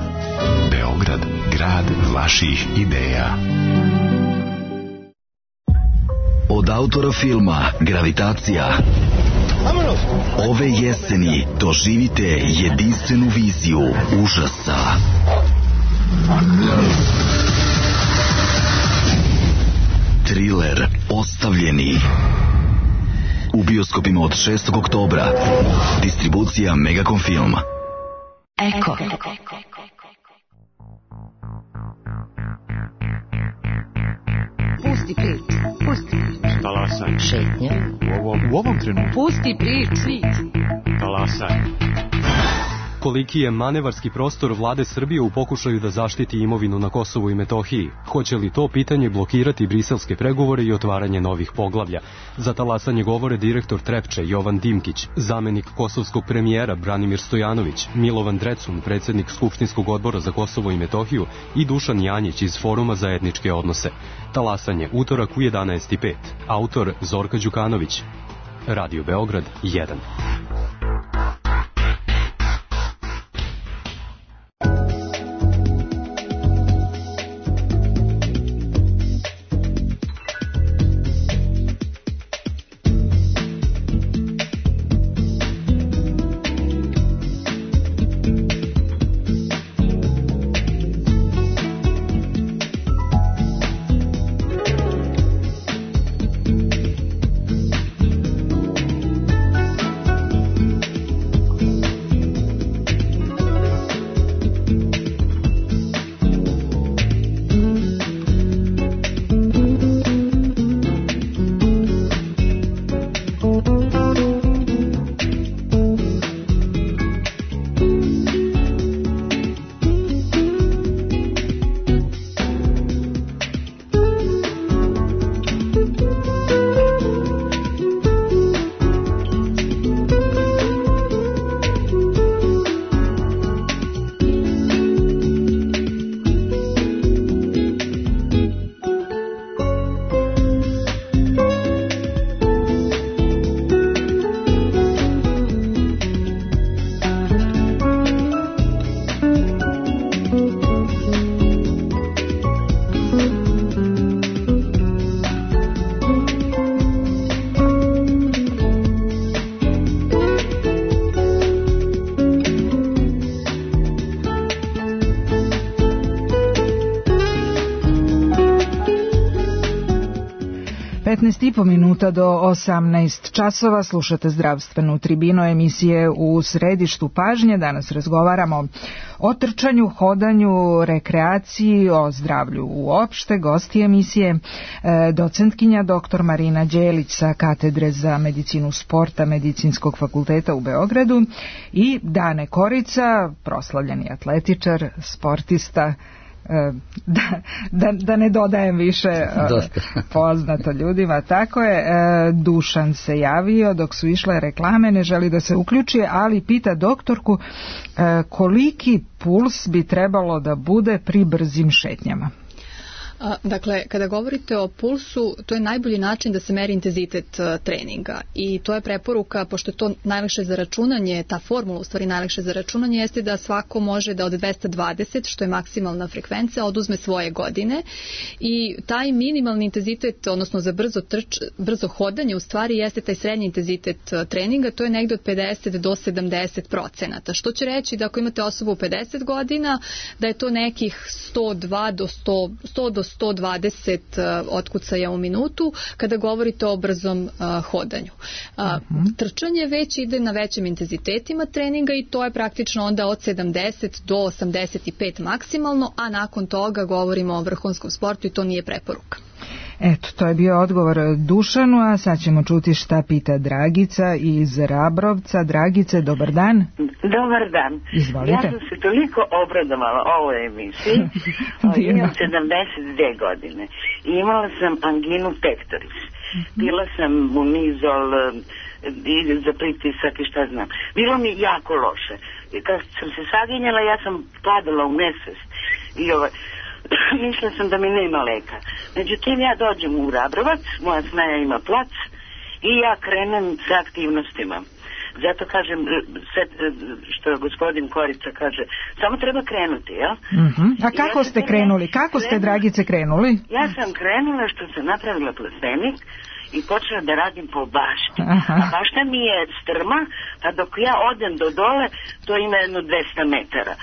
Beograd, grad vaših ideja. Od autora filma Gravitacija ove jeseni doživite jedinstvenu viziju užasa. Triler Ostavljeni. U bioskopima od šestog oktobra. Distribucija Megacom Film. Eko. Pusti prič, pusti prič. Talasaj. Šetnja. U ovom, u ovom trenutku. Pusti prič. Talasaj. Koliki je manevarski prostor vlade Srbije u pokušaju da zaštiti imovinu na Kosovu i Metohiji? Hoće li to pitanje blokirati briselske pregovore i otvaranje novih poglavlja? Za talasanje govore direktor Trepče Jovan Dimkić, zamenik kosovskog premijera Branimir Stojanović, Milovan Drecun, predsjednik Skupštinskog odbora za Kosovo i Metohiju i Dušan Janjić iz Foruma za etničke odnose. Talasanje utorak u jedanaest i pet. Autor Zorka Đukanović. Radio Beograd jedan. petnaest i po minuta do osamnaest časova. Slušate zdravstvenu tribinu emisije U središtu pažnje. Danas razgovaramo o trčanju, hodanju, rekreaciji, o zdravlju uopšte. Gosti emisije docentkinja doktor Marina Đelić sa katedre za medicinu sporta Medicinskog fakulteta u Beogradu i Dane Korica, proslavljeni atletičar, sportista, Da, da, da ne dodajem više poznato ljudima. Tako je, Dušan se javio dok su išle reklame, ne želi da se uključi, ali pita doktorku koliki puls bi trebalo da bude pri brzim šetnjama. Dakle, kada govorite o pulsu, to je najbolji način da se meri intenzitet treninga i to je preporuka, pošto je to najlakše za računanje, ta formula u stvari najlakše za računanje jeste da svako može da od dvesta dvadeset, što je maksimalna frekvencija, oduzme svoje godine i taj minimalni intenzitet, odnosno za brzo, trč, brzo hodanje u stvari jeste taj srednji intenzitet treninga, to je negde od pedeset do sedamdeset procenata, što će reći da ako imate osobu u pedeset godina, da je to nekih sto dva do sto, sto do sto dvadeset otkucaja u minutu kada govorite o brzom uh, hodanju. Uh, uh-huh. Trčanje već ide na većim intenzitetima treninga i to je praktično onda od sedamdeset do osamdeset pet maksimalno, a nakon toga govorimo o vrhunskom sportu i to nije preporuka. Eto, to je bio odgovor Dušanu, a sad ćemo čuti šta pita Dragica iz Rabrovca. Dragice, dobar dan. Dobar dan. Izvolite. Ja sam se toliko obradovala ovoj emisiji. Imam sedamdeset dve godine i imala sam anginu pectoris. Bila sam munizol i za pritisak i šta znam. Bilo mi jako loše. Kad sam se saginjala, ja sam padala u nesvest i ovaj... mislila sam da mi nema leka. Međutim, ja dođem u Rabrovac, moja snaja ima plac i ja krenem sa aktivnostima. Zato kažem, što gospodin Korica kaže, samo treba krenuti, jel? Uh-huh. A kako ste krenuli? Kako ste, Dragice, krenuli? Ja sam krenula što sam napravila plastenik i počela da radim po bašti. Aha. A bašta mi je strma, a dok ja odem do dole, to ima jedno dvesta metara.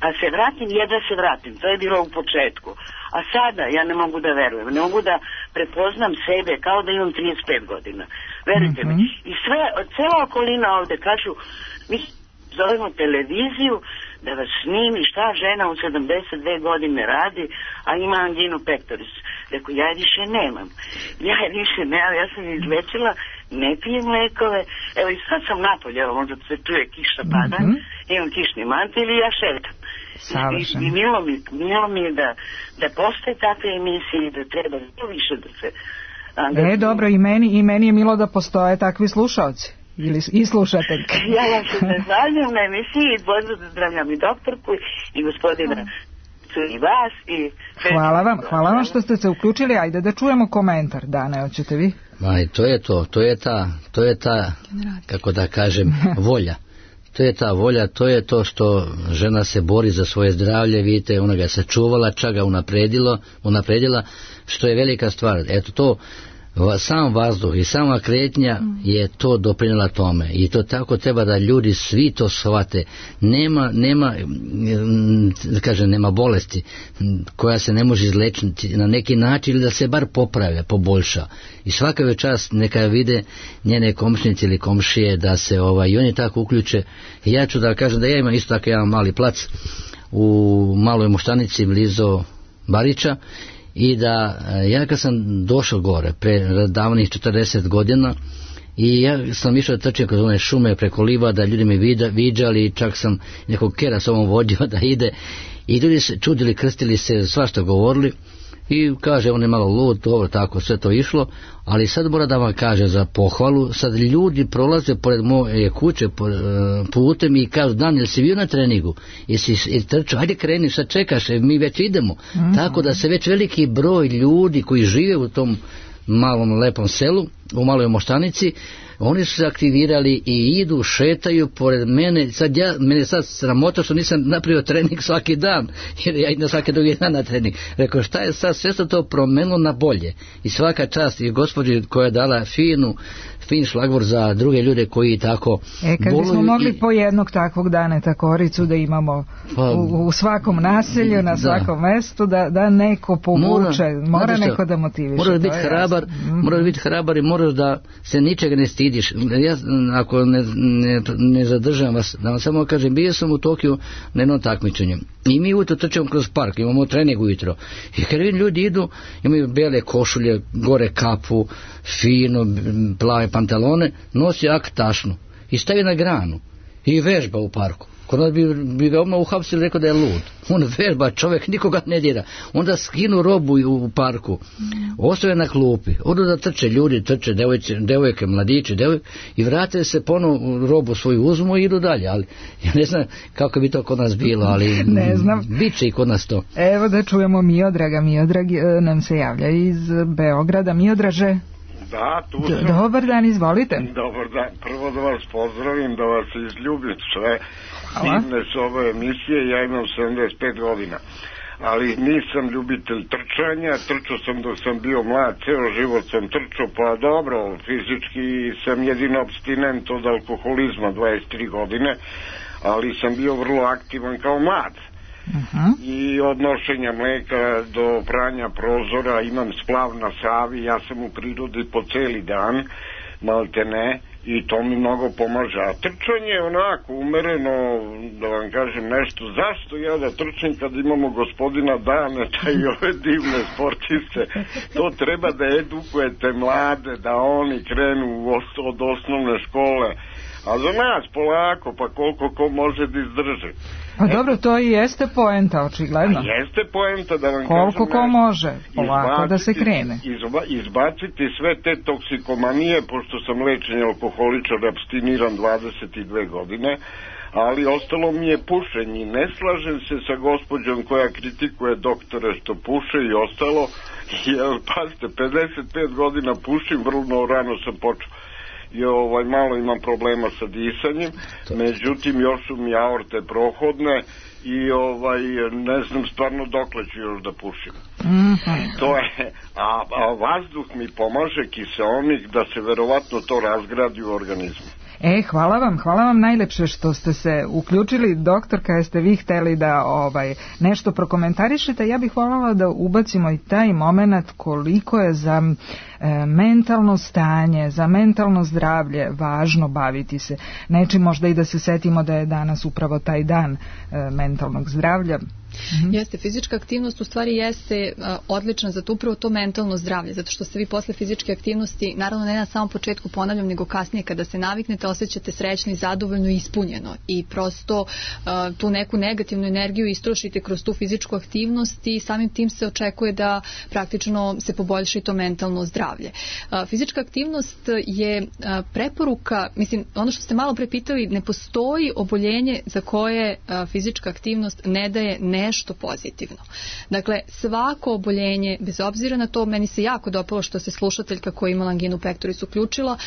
A se vratim, jedva se vratim. To je bilo u početku. A sada ja ne mogu da verujem. Ne mogu da prepoznam sebe kao da imam trideset pet godina. Verujte mm-hmm. mi. I sve, cela okolina ovde kažu, mi zovemo televiziju da vas snimi šta žena u sedamdeset dve godine radi, a ima anginu pectoris. Rekao, ja je više nemam. Ja je više nemam. Ja sam izlečila, ne pijem lekove. Evo i sad sam napolje, evo možda se čuje kiša pada. Mm-hmm. Imam kišni mantil i ja šetam. I, i milo mi, milo mi je da, da postoje takve emisije i da treba više da se angažuju. E, dobro, i meni, i meni je milo da postoje takvi slušalci. Ili, i slušateljke. Ja vam se zahvaljujem na emisiji i pozdravljam i doktorku i gospodina i vas. I... Hvala vam, hvala vam što ste se uključili. Ajde da čujemo komentar. Dane, hoćete vi? Ma, to je to, to je ta, to je ta, kako da kažem, volja. To je ta volja, to je to što žena se bori za svoje zdravlje, vidite, ona ga sačuvala, čak ga unapredilo, unapredila, što je velika stvar. Eto to, sam vazduh i sama kretnja je to doprinjela tome i to tako treba da ljudi svi to shvate. Nema, nema, da kažem, nema bolesti koja se ne može izlečiti na neki način ili da se bar popravlja, poboljša. I svaka je čast neka vide njene komšnice ili komšije da se ovaj, i oni tako uključe. I ja ću da kažem da ja imam isto tako jedan mali plac u Maloj Moštanici blizu Bariča. I da ja kad sam došao gore pre davnih četrdeset godina i ja sam išao da trčim kroz one šume preko livada, ljudi me vida, viđali, čak sam nekog kera s ovom vodio da ide i ljudi se čudili, krstili se, svašta govorili i kaže on je malo lud, dobro, tako sve to išlo, ali sad mora da vam kaže za pohvalu, sad ljudi prolaze pored moje kuće putem i kažu, Dan, jel si bio na treningu, jesi trčao, ajde kreni, sad čekaš, mi već idemo. Mm-hmm. Tako da se već veliki broj ljudi koji žive u tom malom lepom selu, u Maloj Moštanici, oni su se aktivirali i idu, šetaju pored mene. Sad ja, mene sad sramota što nisam napravio trening svaki dan, jer ja idem svaki drugi dan na trening. Rekao, šta je sad, sve se to promenilo na bolje. I svaka čast i gospođi koja je dala finu, fin šlagvor za druge ljude koji tako E, kad bismo mogli i... po jednog takvog daneta koricu da imamo pa, u, u svakom naselju, na svakom da. mestu, da, da neko povuče, mora, mora neko da motiviše. Moraš biti hrabar, mm-hmm. moraš biti hrabar i moraš da se ničega ne stidiš. Ja, ako ne, ne, ne zadržam vas, da vam samo kažem, bio sam u Tokiju na jednom takmičenju. I mi ujutro trčemo kroz park, imamo trening ujutro. I kad vidim ljudi idu, imaju bele košulje, gore kapu, fino, plave pantalone, nosi aktašnu i stavi na granu i vežba u parku. Kod nas bi, bi ga odmah uhapsili, rekao da je lud. On vežba, čovjek nikoga ne dira. Onda skinu robu u parku, ostave na klupi, odu da trče ljudi, trče devojke, devojke mladići, devojke, i vrate se ponovo robu svoju uzmu i idu dalje. Ali ja ne znam kako bi to kod nas bilo, ali ne znam. Bit će i kod nas to. Evo da čujemo Miodraga. Miodrag nam se javlja iz Beograda. Miodraže. Da, tu sam. Dobar dan, izvolite. Dobar dan, prvo da vas pozdravim, da vas izljubim sve divne s ove emisije. Ja imam sedamdeset pet godina, ali nisam ljubitelj trčanja. Trčao sam dok sam bio mlad, ceo život sam trčao, pa dobro, fizički sam jedino abstinent od alkoholizma, dvadeset tri godine, ali sam bio vrlo aktivan kao mlad. Uh-huh. I od nošenja mleka do pranja prozora, imam splav na Savi, ja sam u prirodi po celi dan, malte ne, i to mi mnogo pomaže. A trčanje onako umereno, da vam kažem nešto, zašto ja da trčim kad imamo gospodina Daneta i ove divne sportiste? To treba da edukujete mlade, da oni krenu od osnovne škole, a za nas polako, pa koliko ko može da izdrži. Pa dobro, to i jeste poenta, očigledno. A jeste poenta, da vam koliko kažem, ko može, polako da se krene. Izba, izbaciti sve te toksikomanije, pošto sam lečen alkoholičar, abstiniran dvadeset dve godine, ali ostalo mi je pušenje. Ne slažem se sa gospođom koja kritikuje doktore što puše i ostalo, jer pazite, pedeset pet godina pušim, vrlo rano sam počeo. I ovaj, malo imam problema sa disanjem, međutim još su mi aorte prohodne i ovaj, ne znam stvarno dokle ću još da pušim. Mm-hmm. To je, a, a vazduh mi pomaže, kiseonik, da se verovatno to razgradi u organizmu. E, hvala vam, hvala vam najlepše što ste se uključili, doktorka, jeste vi hteli da ovaj nešto prokomentarišete. Ja bih voljela da ubacimo i taj moment koliko je za e, mentalno stanje, za mentalno zdravlje važno baviti se nečim, možda i da se setimo da je danas upravo taj dan e, mentalnog zdravlja. Mm-hmm. Jeste, fizička aktivnost u stvari jeste uh, odlična za to, upravo to mentalno zdravlje, zato što se vi posle fizičke aktivnosti, naravno ne na samom početku ponavljam, nego kasnije kada se naviknete, osjećate srećno i zadovoljno i ispunjeno i prosto uh, tu neku negativnu energiju istrošite kroz tu fizičku aktivnost i samim tim se očekuje da praktično se poboljša i to mentalno zdravlje. Uh, fizička aktivnost je uh, preporuka, mislim, ono što ste malo pre pitali, ne postoji oboljenje za koje uh, fizička aktivnost ne daje ne nešto pozitivno. Dakle, svako oboljenje, bez obzira na to, meni se jako dopalo što se slušateljka koja imala anginu pectoris uključila.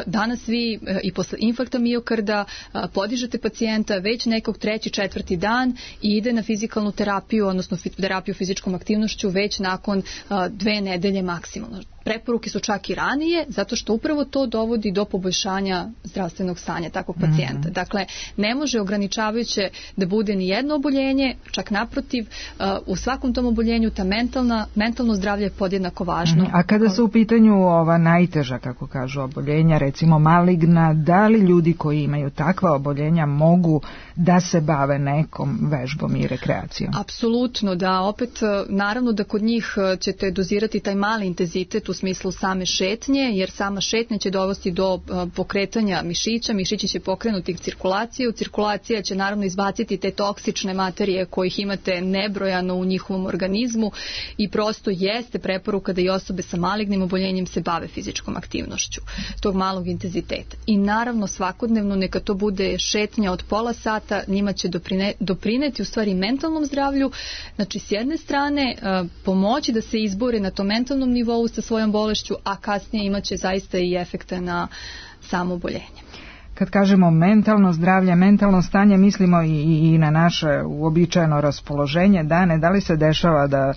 Danas vi i posle infarkta miokarda podižete pacijenta već nekog treći, četvrti dan i ide na fizikalnu terapiju, odnosno terapiju fizičkom aktivnošću već nakon dve nedelje maksimalno. Preporuke su čak i ranije, zato što upravo to dovodi do poboljšanja zdravstvenog stanja takvog pacijenta. Mm-hmm. Dakle, ne može ograničavajuće da bude ni jedno oboljenje, čak naprotiv, u svakom tom oboljenju ta mentalna, mentalno zdravlje je podjednako važno. Mm-hmm. A kada su u pitanju ova najteža, kako kažu, oboljenja, recimo maligna, da li ljudi koji imaju takva oboljenja mogu da se bave nekom vežbom i rekreacijom? Apsolutno, da. Opet, naravno da kod njih ćete dozirati taj mali intenzitet u smislu same šetnje, jer sama šetnja će dovesti do pokretanja mišića, mišići će pokrenuti cirkulaciju, cirkulacija će naravno izbaciti te toksične materije kojih imate nebrojano u njihovom organizmu i prosto jeste preporuka da i osobe sa malignim oboljenjem se bave fizičkom aktivnošću tog malog intenziteta. I naravno svakodnevno neka to bude šetnja od pola sata, njima će doprine, doprineti u stvari mentalnom zdravlju, znači s jedne strane pomoći da se izbore na tom mentalnom nivou sa svojom bolešću, a kasnije imaće zaista i efekte na samo oboljenje. Kad kažemo mentalno zdravlje, mentalno stanje, mislimo i, i na naše uobičajeno raspoloženje dane. Da li se dešava da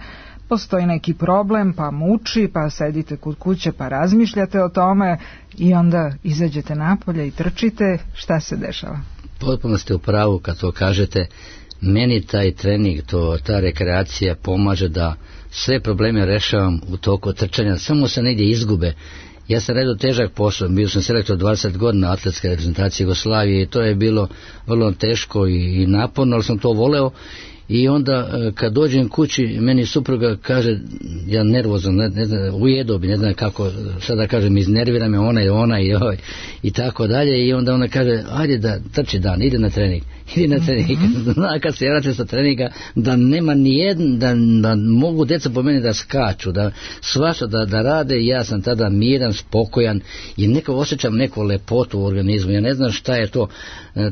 postoji neki problem, pa muči, pa sedite kod kuće, pa razmišljate o tome i onda izađete napolje i trčite? Šta se dešava? Potpuno ste u pravu kad to kažete. Meni taj trening, to, ta rekreacija pomaže da sve probleme rešavam u toku trčanja, samo se negdje izgube. Ja sam radio težak posao, bio sam selektor dvadeset godina atletske reprezentacije Jugoslavije i to je bilo vrlo teško i, i naporno, ali sam to voleo. I onda kad dođem kući, meni supruga kaže, ja nervozno, ne, ne znam, ujedo bi, ne znam kako, sada kažem, iznervira me ona i ona i ovaj, i tako dalje, i onda ona kaže, ajde da trči dan, ide na trening, ide na trening, zna kad se vrate sa treninga, da nema ni jedan, da, da mogu deca po meni da skaču, da svašta da, da rade, i ja sam tada miran, spokojan i neko osjećam neku lepotu u organizmu, ja ne znam šta je to,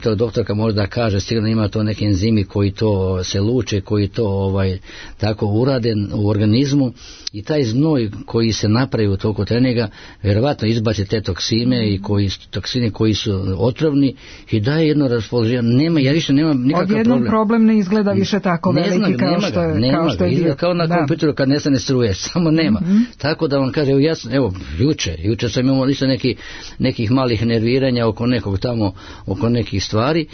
to doktorka možda kaže, sigurno ima to neki enzimi koji to se luče, koji to ovaj tako urade u organizmu, i taj znoj koji se napravi u toku treninga vjerovatno izbaci te toksine i koji toksine koji su otrovni i daje jedno raspoloženje. Nema, ja više nemam nikakav problem. Odjednom problem ne izgleda više tako ne veliki znam, kao, nema što je, ga, nema kao što je izgleda bio. kao na da. kompjuteru kad nestane struje, samo nema. Mm-hmm. Tako da vam kaže, evo ja sam, evo juče, juče sam imao isto neki, nekih malih nerviranja oko nekog tamo, oko nekih stvari.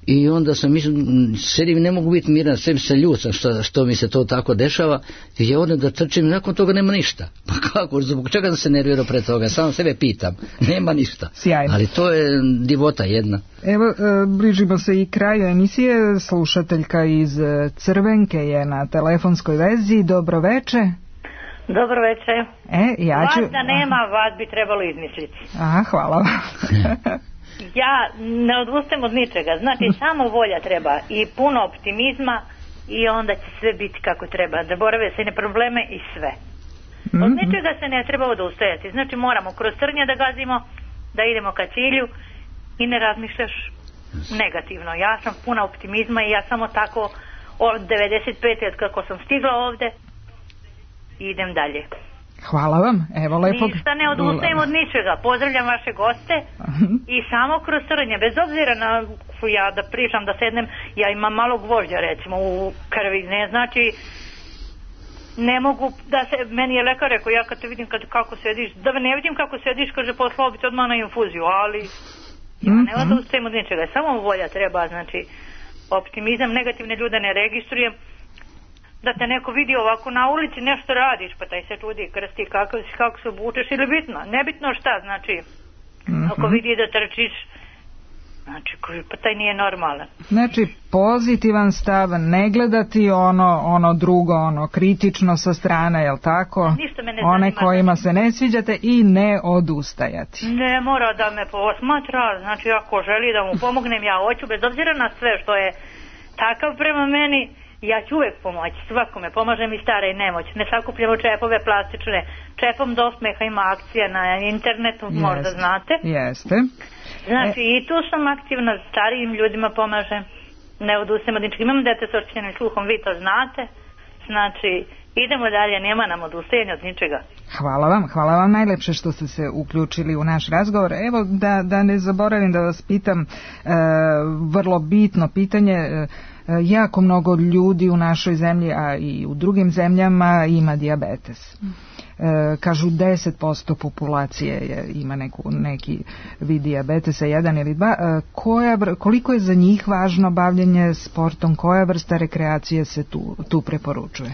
I onda sam mislim, sedim, ne mogu biti miran, sve se ljucam što, što mi se to tako dešava, i ja odem da trčim i nakon toga nema ništa. Pa kako, zbog čega sam se nervirao pred toga, samo sebe pitam, nema ništa. Sjajno. Ali to je divota jedna. Evo, bližimo se i kraju emisije, slušateljka iz Crvenke je na telefonskoj vezi, dobro veče. Dobro veče. E, ja ću... Vas da nema, vas bi trebalo izmisliti. Aha, hvala vam. Ja ne odustajem od ničega, znači samo volja treba i puno optimizma i onda će sve biti kako treba, da borave se na probleme i sve. Od ničega se ne treba odustajati, znači moramo kroz trnje da gazimo, da idemo ka cilju i ne razmišljaš negativno. Ja sam puna optimizma i ja samo tako od devedeset pete od kako sam stigla ovde idem dalje. Hvala vam, evo lepo. Ništa ne odustajem od ničega, pozdravljam vaše goste i samo kroz trnje, bez obzira na ja da pričam, da sednem, ja imam malo gvožđa recimo u krvi, ne znači ne mogu da se, meni je lekar rekao, ja kad te vidim kad, kako sediš, da ne vidim kako sediš, kaže poslao bi te odmah na infuziju, ali ja ne odustajem od ničega, samo volja treba, znači optimizam, negativne ljude ne registrujem. Da te neko vidi ovako na ulici, nešto radiš, pa taj se čudi, krsti, kako, kako se obučeš, ili bitno, nebitno šta, znači, mm-hmm. ako vidi da trčiš, znači, pa taj nije normalan. Znači, pozitivan stav, ne gledati ono, ono drugo, ono kritično sa strane, jel tako? Ništa me ne One zanima, kojima se ne sviđate i ne odustajati. Ne mora da me posmatra, znači, ako želi da mu pomognem, ja hoću, bez obzira na sve što je takav prema meni, ja ću uvijek pomoći, svakome, pomažem i stare i nemoć. Ne sakupljamo čepove plastične. Čepom do osmeha ima akcija na internetu, Jeste. možda znate. Jeste. Znači e... i tu sam aktivna, starijim ljudima pomažem. Ne odustajem od ničega. Imam dete s oštećenim sluhom, vi to znate. Znači, idemo dalje, nema nam odustajanja od ničega. Hvala vam, hvala vam najlepše što ste se uključili u naš razgovor. Evo, da, da ne zaboravim da vas pitam e, vrlo bitno pitanje. E, jako mnogo ljudi u našoj zemlji, a i u drugim zemljama ima dijabetes. E, kažu deset posto populacije je, ima neku, neki vid dijabetesa, jedan ili dva. E, koja, koliko je za njih važno bavljenje sportom, koja vrsta rekreacije se tu, tu preporučuje?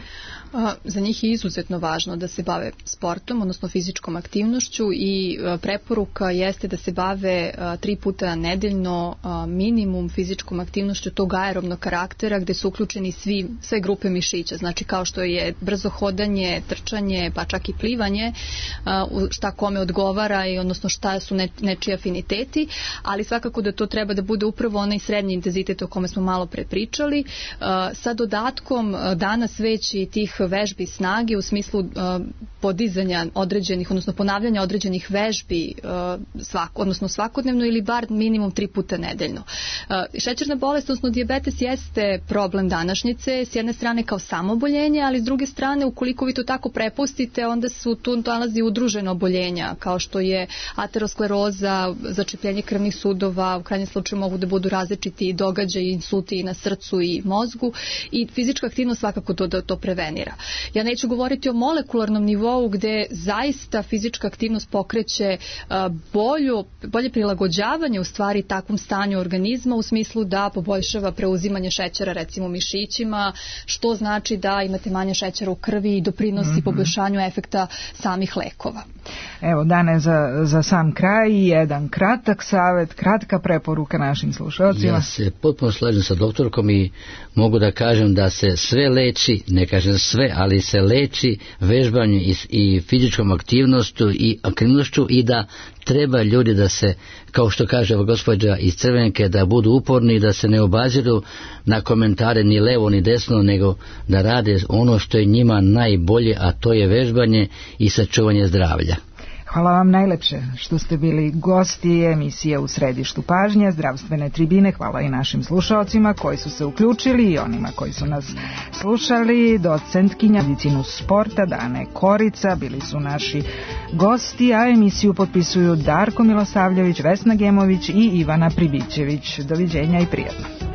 Za njih je izuzetno važno da se bave sportom, odnosno fizičkom aktivnošću, i preporuka jeste da se bave tri puta nedeljno minimum fizičkom aktivnošću tog aerobnog karaktera gde su uključeni svi, sve grupe mišića, znači kao što je brzo hodanje, trčanje, pa čak i plivanje, šta kome odgovara i odnosno šta su ne, nečiji afiniteti, ali svakako da to treba da bude upravo onaj srednji intenzitet o kome smo malo pre pričali, sa dodatkom danas već i tih vežbi snage u smislu uh, podizanja određenih, odnosno ponavljanja određenih vežbi uh, svako, odnosno svakodnevno ili bar minimum tri puta nedeljno. Uh, šećerna bolest, odnosno dijabetes, jeste problem današnjice, s jedne strane kao samoboljenje, ali s druge strane, ukoliko vi to tako prepustite, onda su tu nalazi udružena oboljenja, kao što je ateroskleroza, začepljenje krvnih sudova, u krajnjem slučaju mogu da budu različiti događaji, insulti i na srcu i mozgu, i fizička aktivnost svakako to da to prevenira. Ja neću govoriti o molekularnom nivou gde zaista fizička aktivnost pokreće bolju, bolje prilagođavanje u stvari takvom stanju organizma u smislu da poboljšava preuzimanje šećera recimo u mišićima, što znači da imate manje šećera u krvi i doprinosi mm-hmm. poboljšanju efekta samih lekova. Evo, Dane, za, za sam kraj jedan kratak savjet, kratka preporuka našim slušalcima. Ja se potpuno slažem sa doktorkom i mogu da kažem da se sve leči, ne kažem sve, ali se leči vežbanjem i, i fizičkom aktivnošću i aktivnošću i da treba ljudi da se, kao što kaže gospođa iz Crvenke, da budu uporni i da se ne obaziru na komentare ni levo ni desno, nego da rade ono što je njima najbolje, a to je vežbanje i sačuvanje zdravlja. Hvala vam najlepše što ste bili gosti emisije U središtu pažnje, zdravstvene tribine. Hvala i našim slušalcima koji su se uključili i onima koji su nas slušali. Docentkinja medicinu sporta Dane Korica bili su naši gosti, a emisiju potpisuju Darko Milosavljević, Vesna Gemović i Ivana Pribićević. Doviđenja i prijatno.